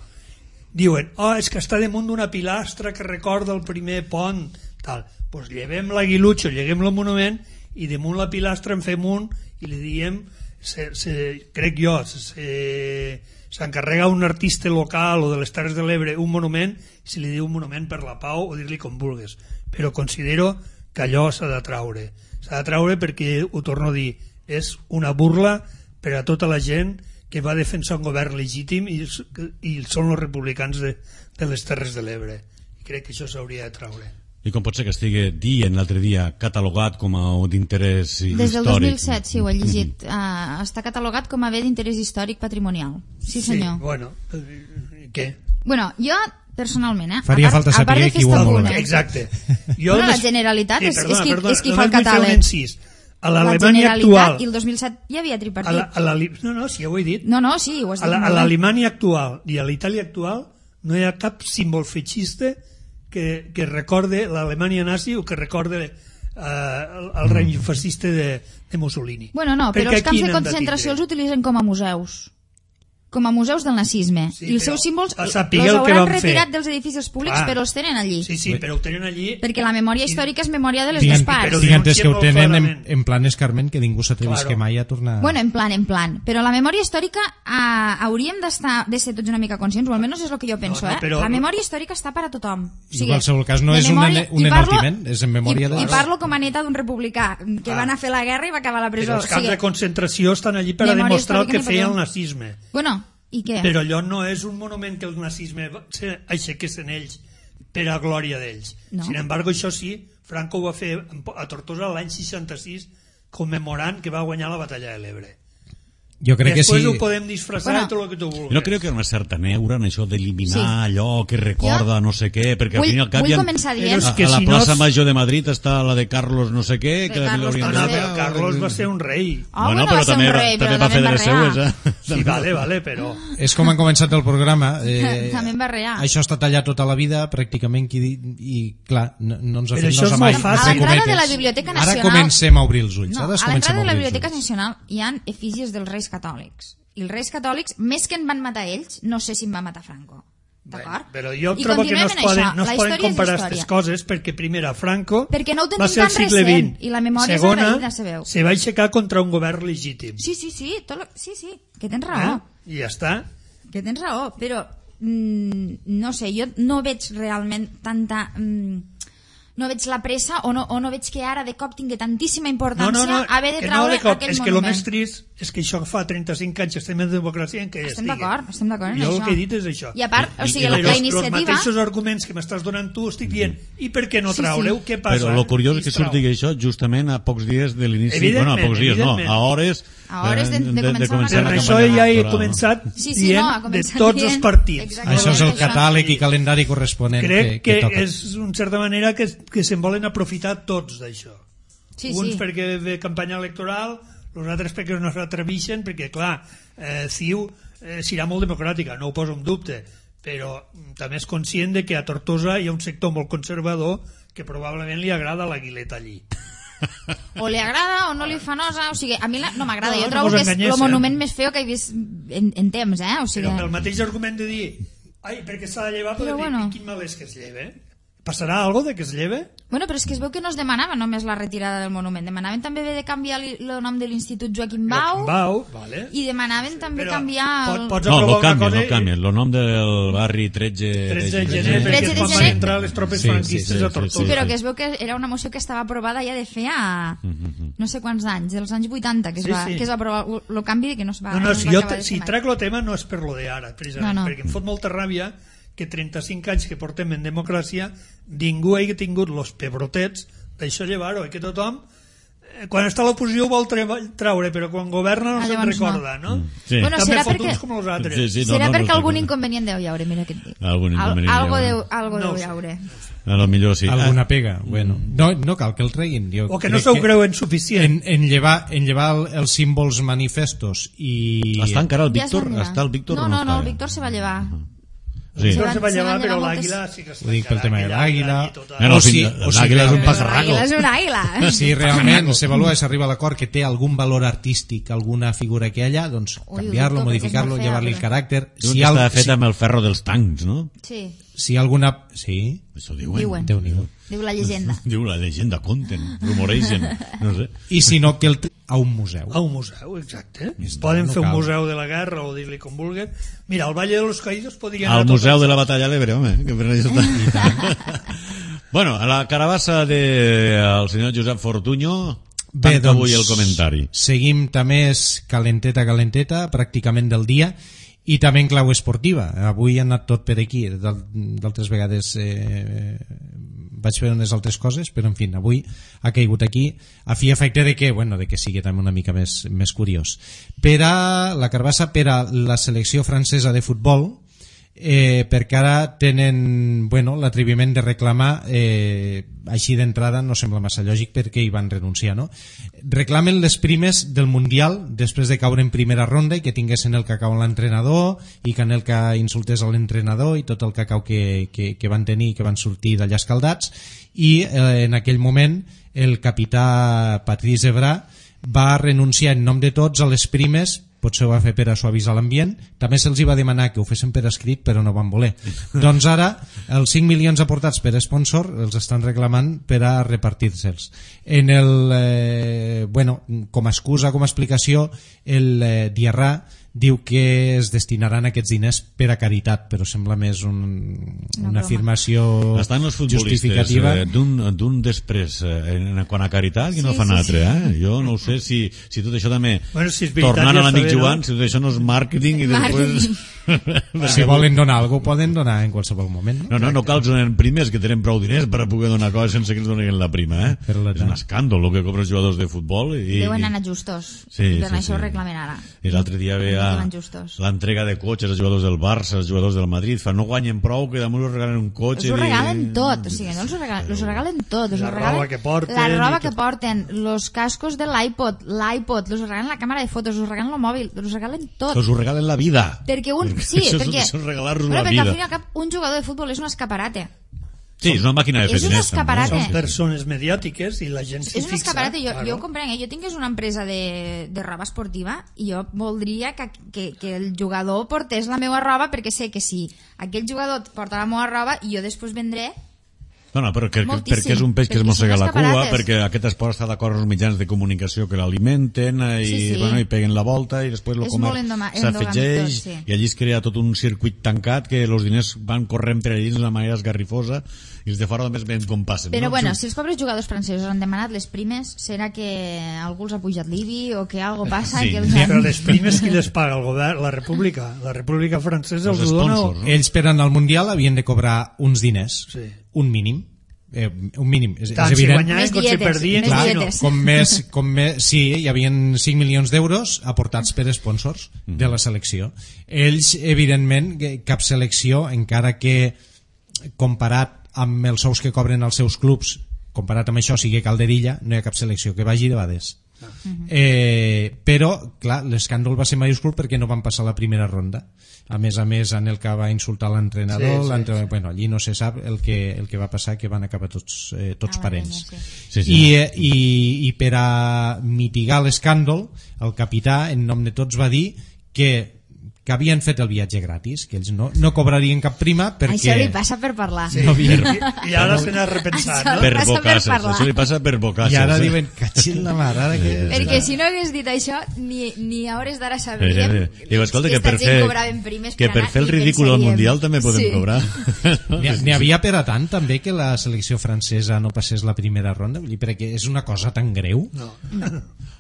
Diuen, oh, és que està damunt d'una pilastra que recorda el primer pont, tal. Doncs pues llevem l'aguilutxo, lleguem el monument i damunt la pilastra en fem un i li diem, se, se, crec jo, se, s'encarrega un artista local o de les Terres de l'Ebre un monument i se li diu un monument per la pau o dir-li com vulguis. Però considero que allò s'ha de traure. S'ha de traure perquè, ho torno a dir, és una burla per a tota la gent que va defensar un govern legítim i, i són els republicans de, de les Terres de l'Ebre. I crec que això s'hauria de traure. I com pot ser que estigui dient l'altre dia catalogat com a d'interès històric? Des del dos mil set, sí, ho he llegit. Uh, està catalogat com a bé d'interès històric patrimonial. Sí, senyor. Sí, bueno, eh, què? Bueno, jo, personalment, eh? Faria a part, falta a part saber de qui ho festa valora. puna, Exacte. Bueno, la Generalitat és- és qui- és qui fa el només vull fer un catàleg. incís. A la l'Alemanya Generalitat, actual... i el dos mil set hi havia A tripartit. la, a la, no, no, sí, ja ho he dit. No, no, sí, ho has A dit la- a molt bé. l'Alemanya actual i a l'Itàlia actual no hi ha cap símbol feixista que, que recorde l'Alemanya nazi o que recorde eh, el, el règim fascista de, de Mussolini. Bueno, no, però Perquè els camps aquí de n'hem de concentració tindre. els utilitzen com a museus. Com a museus del nazisme. Sí, I els però seus símbols a els saber el que hauran van fer. retirat dels edificis públics, Clar. però els tenen allí. Sí, sí, però ho tenen allí. Perquè la memòria històrica és memòria de les Tinc, dues parts. però tinc entès que ho molt tenen en, clarament. en plan escarment, que ningú s'atrevisca Claro. mai a tornar... Bueno, en plan, en plan. Però la memòria històrica ah, hauríem d'estar de ser tots una mica conscients, o almenys és el que jo penso, No, no, eh? però- La memòria històrica està per a tothom. O En qualsevol cas, no de és un memòria- ene- un i parlo- enaltiment, és en memòria i, de- I parlo com a neta d'un republicà, que va anar a fer la guerra i va acabar a la presó. Però els camps O sigui, de concentració estan allí per a memòria demostrar el històrica que ni feia per el què. nazisme. Bueno, i què? Però allò no és un monument que el nazisme se aixequessin ells per a glòria d'ells. No. Sin embargo, això sí, Franco ho va fer a Tortosa l'any seixanta-sis commemorant que va guanyar la batalla de l'Ebre. Jo crec que Després sí. ho podem disfressar Bueno, i tot el que tu vulguis. Jo crec que hi ha una certa neura en això d'eliminar Sí. allò que recorda no sé què, perquè Vull- al fin i al cap vull hi ha... començar Però dient... és A, que a la si no plaça es- Major de Madrid està la de Carlos no sé què, que De la Carlos haurien No, no, no sé. però Carlos va ser un rei. Ah, bueno, bueno, però va ser també, un rei, també però va fer de també les en va seues, eh? Sí, vale, vale, però... És com han començat el programa. Eh, També en va rear. Això està tallat tota la vida, pràcticament, qui di- i clar, no, no ens ha Però fet això nosa és mai. molt fàcil. A entre l'entrada de la cometes. Biblioteca Ara Nacional- comencem a obrir els ulls. No, Ara a comencem l'entrada de la obrir els Biblioteca ulls. Nacional hi ha efígies dels reis catòlics. I els reis catòlics, més que en van matar ells, no sé si en va matar Franco. D'acord? Però jo I trobo que no continuem es en poden, això. no La es poden història és comparar història. aquestes coses perquè primera, Franco Perquè no ho tenim va ser al tan segle recent, vint. i la memòria és Segona, agraïda, sabeu. se va aixecar contra un govern legítim. Sí, sí, sí, tot lo... sí, sí, que tens raó. Eh? I ja està. Que tens raó, però mm, no sé, jo no veig realment tanta... Mm, no veig la pressa o no, o no veig que ara de cop tingui tantíssima No, importància no, no, haver de que no traure de cop. aquell És que el monument. més trist és que això fa trenta-cinc anys que estem en democràcia en què ja Estem estigui. d'acord, estem d'acord en Jo això. el que he dit és això. I a part, o sigui, I- i la, lo la Els iniciativa... mateixos arguments que m'estàs donant tu estic dient, i per què no Sí, sí. traureu? Què passa? Però el curiós és que Qui es trau? surti això justament a pocs dies de l'inici, Evidentment, bueno, a pocs dies no, A a evidentment. hores, hores de- de començar una Per la campanya això campanya ja he electoral. començat Sí, sí, dient no, ha de començat tots dient- els partits. Exactament. Això és el Això. catàleg i calendari corresponent Crec que, que, que toca. és en certa manera que, que se'n volen aprofitar tots d'això. Sí, Uns sí. perquè ve campanya electoral, els altres perquè no s'atreveixen, perquè clar, eh, C I U eh, serà molt democràtica, no ho poso en dubte, però mm, també és conscient de que a Tortosa hi ha un sector molt conservador que probablement li agrada la guileta allí. O li agrada o no li fa nosa, o sigui, a mi la, no m'agrada, No, jo no trobo vos que és enganyés, el eh? monument més feo que he vist en, en temps, eh? O sigui, Però el mateix argument de dir ai, perquè s'ha de llevar, Però però dir, bueno. quin mal és que es lleve? Passarà algo de que es lleve? bueno, però és que es veu que no es demanava només la retirada del monument, demanaven també haver de canviar li- el nom de l'Institut Joaquim Bau, Bau, vale. i demanaven també Però canviar el... pot- pots No, aprovar lo una canvien, cosa lo canvien. El nom del barri tretze tretze de de gener, perquè tretze es de van gener. entrar les tropes Sí, sí, franquistes sí, a sí, Tortosa. sí, però sí. que es veu que era una moció que estava aprovada ja de feia no sé quants anys, dels anys vuitanta que es Sí, va, sí. que es va aprovar el canvi que no es va, No, no, es si, va jo acabar te, de si fer mai. trec el tema no és per lo d'ara, precisament, No, no. perquè em fot molta ràbia que trenta-cinc anys que portem en democràcia ningú hagi tingut los pebrotets d'això llevar-ho, i que tothom eh, quan està a l'oposició ho vol tre- traure, però quan governa no Ah, se'n llavors no. recorda, no? Sí. Bueno, També serà fotuts perquè- com els altres. Sí, sí. no, serà no, no perquè sé algun com- inconvenient deu hi haure, mira què et dic. Algun inconvenient Al, algo hi deu, haurà. algo No deu ho hi sé. haure. A lo millor sí. Alguna Ah, pega, bueno. No, no cal que el treguin. Jo O que no crec se ho creuen suficient. En, en llevar, en llevar el, els símbols manifestos i... Està encara el Ja es Víctor? van llevar. Està el Víctor no, o no no, no, està? el Víctor se va llevar. Sí. Se No van- se va se llevar, van però llevar moltes- l'àguila sí que està Ho dic pel tema de encara, l'àguila. allí tota- No, no, O si- si, o si l'àguila és un realment- passarraco. L'àguila és una àguila. Si realment s'avalua i s'arriba a l'acord que té algun valor artístic, alguna figura que hi ha, doncs Ui, canviar-lo, ho dubto, perquè és modificar-lo, molt fea, llevar-li el però- caràcter. Diuen Si, que al, està fet si, amb el ferro dels tancs, no? Sí, si alguna... Sí, Això diuen. diuen. Déu-n'hi-do. Diu la llegenda. Diu la llegenda, conten, rumoregen, no sé. I si no, que el t- a un museu. A un museu, exacte. Està, Poden no fer un cal. museu de la guerra o dir-li com vulguin. Mira, al Valle de los Caídos podrien Al anar Museu tots de els- la Batalla de l'Ebre, home, que per això està. Bueno, a la carabassa del senyor Josep Fortuño, Bé, tanca avui doncs, el comentari. Seguim també és calenteta, calenteta, pràcticament del dia, i també en clau esportiva. Avui ha anat tot per aquí. D'al- D'altres vegades eh, vaig fer unes altres coses, però en fi, avui ha caigut aquí a fi i efecte de que, bueno, de que sigui també una mica més, més curiós. Per a la carbassa, per a la selecció francesa de futbol, eh, perquè ara tenen bueno, l'atreviment de reclamar eh, així d'entrada no sembla massa lògic perquè hi van renunciar, no? Reclamen les primes del Mundial després de caure en primera ronda i que tinguessin el cacau a l'entrenador i que Anelka insultés a l'entrenador i tot el cacau que, que, que van tenir i que van sortir d'allà escaldats i eh, en aquell moment el capità Patrice Evra va renunciar en nom de tots a les primes, potser ho va fer per a suavitzar l'ambient, també se'ls va demanar que ho fessin per escrit però no van voler. Doncs ara els cinc milions aportats per sponsor els estan reclamant per a repartir-se'ls. En el, eh, bueno, com a excusa, com a explicació, el eh, Diarra diu que es destinaran aquests diners per a caritat, però sembla més un, una, una afirmació estan els justificativa. Eh, d'un després, eh, en, quan a caritat, i no sí, fan sí, altre, sí. eh? Jo no ho sé si, si tot això també, bueno, si tornant ja a l'amic bé, Joan, no? si tot això no és màrqueting i després... Si volen donar alguna cosa, poden donar en qualsevol moment. No, no, no cal que donen primes, que tenen prou diners per a poder donar coses sense que ens donin la prima, eh? Però la és un escàndol el que cobren els jugadors de futbol. I, Deuen anar justos. Sí, per sí, això sí. ho reclamen ara. I l'altre dia veia l'entrega de cotxes als jugadors del Barça, als jugadors del Madrid, fa no guanyen prou que damunt us regalen un cotxe. Us ho regalen i... tot, o sigui, no els ho regalen, els ho regalen tot. Us la ho regalen, roba que porten. La roba que... que porten, los cascos de l'iPod, l'iPod, us ho regalen la càmera de fotos, us ho regalen el mòbil, us ho regalen tot. Us ho regalen la vida. Perquè un, sí, això perquè, és regalar-vos bueno, la perquè vida. al fin i al cap un jugador de futbol és un escaparate. Sí, és una màquina de fer És un diners. escaparate. també. Són persones mediàtiques i la gent s'hi És un fixa. escaparate, jo, claro. jo ho comprenc, eh? Jo tingués una empresa de, de roba esportiva i jo voldria que, que, que el jugador portés la meva roba perquè sé que si aquell jugador porta la meva roba jo després vendré. No, no, però que, Moltíssim, perquè és un peix que es perquè mossega són la cua, escaparates. perquè aquest esport està d'acord amb els mitjans de comunicació que l'alimenten eh, i, Sí, sí. bueno, i peguen la volta i després el És comerç molt endoma- s'afegeix endogàmic tot, sí. i allí es crea tot un circuit tancat que els diners van corrent per allí d'una manera esgarrifosa i els de fora només veiem com passen. Però no? bueno, si els pobres jugadors francesos han demanat les primes, serà que algú els ha pujat l'I B I o que algo passa Sí. que els Però han... les primes qui les paga? El govern, la república. La república francesa Els els ho dona... o- sponsors, no? Ells per anar al Mundial havien de cobrar uns diners, Sí. un mínim, eh, un mínim, és, Tant és si evident. guanyaven Més com si dietes, perdien. més clar, Clar, no. dietes. com més, com més, sí, hi havia cinc milions d'euros aportats per sponsors de la selecció. Ells, evidentment, que cap selecció, encara que comparat amb els sous que cobren els seus clubs, comparat amb això sigui Calderilla, no hi ha cap selecció que vagi de bades. Eh, però, clar, l'escàndol va ser majúscul perquè no van passar la primera ronda. A més a més, Anelka va insultar l'entrenador, Sí, sí, l'entre- bueno, allí no se sap el que, el que va passar, que van acabar tots, eh, tots Ah, parents. sí. Sí, sí. I, eh, i, i per a mitigar l'escàndol el capità en nom de tots va dir que, que havien fet el viatge gratis, que ells no, no cobrarien cap prima perquè Això li passa per parlar. Sí. no havien... I, I ara se n'ha repensat, Això no? Per passa per bocasses, parlar. això li passa per bocasses. I ara eh? diuen, catxin la mare, ara que... Perquè si no hagués dit això, ni, ni a hores d'ara Eh, sabríem eh, eh. Diu, escolta, que per aquesta gent fer, cobraven primes que per per anar fer el i ridícul al pensaríem- Mundial també podem Sí. cobrar. N'hi n'hi havia per a tant també que la selecció francesa no passés la primera ronda, vull dir, perquè és una cosa tan greu. No.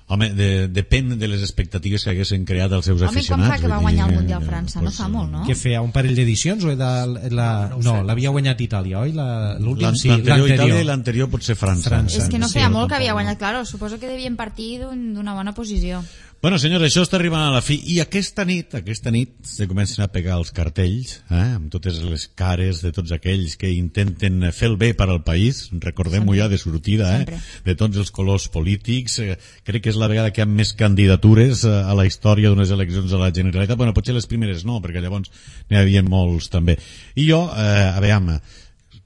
Home, de, depèn de les expectatives que haguessin creat els seus Home, com aficionats. fa que va vull guanyar el dir, Mundial eh, França? No fa molt, no? Que feia un parell d'edicions o era la... No, l'havia guanyat Itàlia, oi? La- L'últim, sí, L'anterior Itàlia i l'anterior. l'anterior potser França. França. És que no Sí, feia no, molt que havia tampoc. guanyat, claro, suposo que devien partir d'un- d'una bona posició. Bueno, senyors, això està arribant a la fi i aquesta nit, aquesta nit se comencen a pegar els cartells, eh, amb totes les cares de tots aquells que intenten fer el bé per al país, recordem-ho ja de sortida, eh, Sempre. de tots els colors polítics, eh, crec que és la vegada que hi ha més candidatures eh, a la història d'unes eleccions a la Generalitat, bueno, potser les primeres no, perquè llavors n'hi havia molts també. I jo, eh, a veure,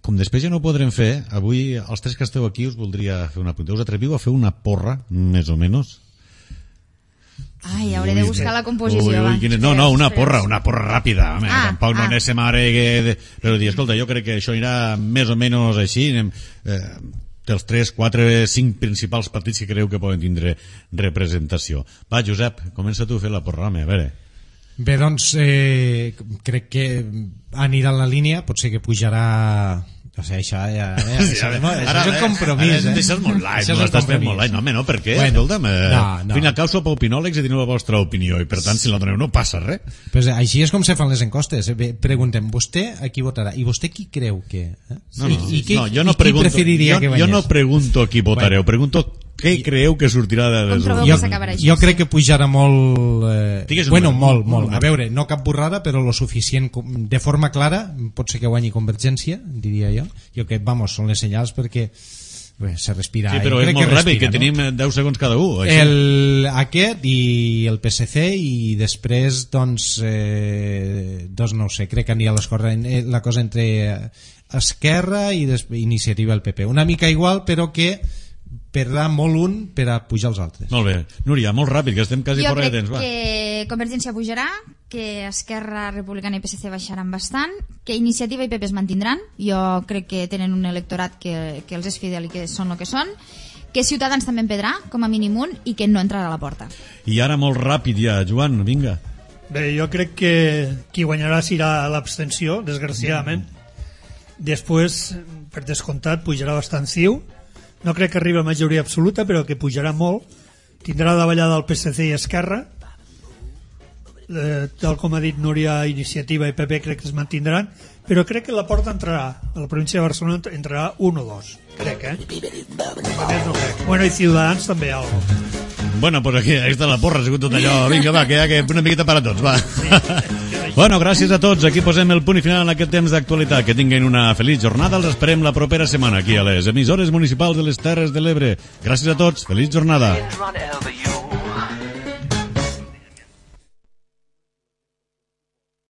com després ja no ho podrem fer, avui els tres que esteu aquí us voldria fer una pregunta. Us atreviu a fer una porra, més o menys? Ai, hauré de buscar la composició. Ui, ui, va. quina... No, no, una Espera, porra, espera. una porra ràpida. Home, Ah, tampoc no ah. anéssim ara... Que... de- Però dir, escolta, jo crec que això anirà més o menys així. Anem, eh, dels tres, quatre, cinc principals partits que creu que poden tindre representació. Va, Josep, comença tu a fer la porra, home, a veure. Bé, doncs, eh, crec que anirà en la línia, potser que pujarà... O sigui, això ja... ja Sí, això, ara- no, això ara- és un compromís, ara eh? deixes molt light, Això és no un l'estàs fent compromís. molt light. No, home, no, per què? Bueno, Escolta'm, eh, no, no. al fin i al cau sou opinòlegs i teniu la vostra opinió i per tant si la doneu no passa res. Pues així és com se fan les encostes. Bé, preguntem, vostè a qui votarà? I vostè qui creu que... Eh? No, no, I, i, qui, no, jo no i qui pregunto, preferiria jo, que jo guanyés? no pregunto a qui votareu, pregunto Què creieu que sortirà de les Com trobeu Jo, que s'acabarà això? jo crec que pujarà molt... Eh, Digues un bueno, número, molt, un molt. número. A veure, no cap borrada, però lo suficient, com- de forma clara, pot ser que guanyi Convergència, diria jo. Jo que, vamos, són les senyals perquè bé, se respira. Sí, però jo és crec molt que ràpid, respira, que tenim deu segons cada un. Així. El, aquest i el P S C i després doncs eh, doncs no ho sé, crec que anirà les coses, eh, la cosa entre Esquerra i des, Iniciativa el P P, una mica igual però que perdrà molt un per a pujar els altres. Molt bé. Núria, molt ràpid, que estem quasi Jo fora de crec temps. Va. que Convergència pujarà, que Esquerra Republicana i P S C baixaran bastant, que Iniciativa i P P es mantindran, jo crec que tenen un electorat que, que els és fidel i que són el que són, que Ciutadans també en perdrà, com a mínim un, i que no entrarà a la porta. I ara molt ràpid ja, Joan, vinga. Bé, jo crec que qui guanyarà serà l'abstenció, desgraciadament. Després, per descomptat, pujarà bastant CiU. No crec que arribi a majoria absoluta, però que pujarà molt. Tindrà davallada el P S C i Esquerra. Eh, tal com ha dit Núria, Iniciativa i P P crec que es mantindran, però crec que la porta entrarà. A la província de Barcelona entrarà un o dos. Crec, eh? A més no crec. Bueno, i Ciutadans també algo. Bueno, pues aquí, ahí està la porra, ha sigut tot allò. Vinga, va, que ja que una miqueta per a tots, va. Bueno, gràcies a tots. Aquí posem el punt i final en aquest temps d'actualitat. Que tinguin una feliç jornada. Els esperem la propera setmana aquí a les emissores municipals de les Terres de l'Ebre. Gràcies a tots. Feliç jornada.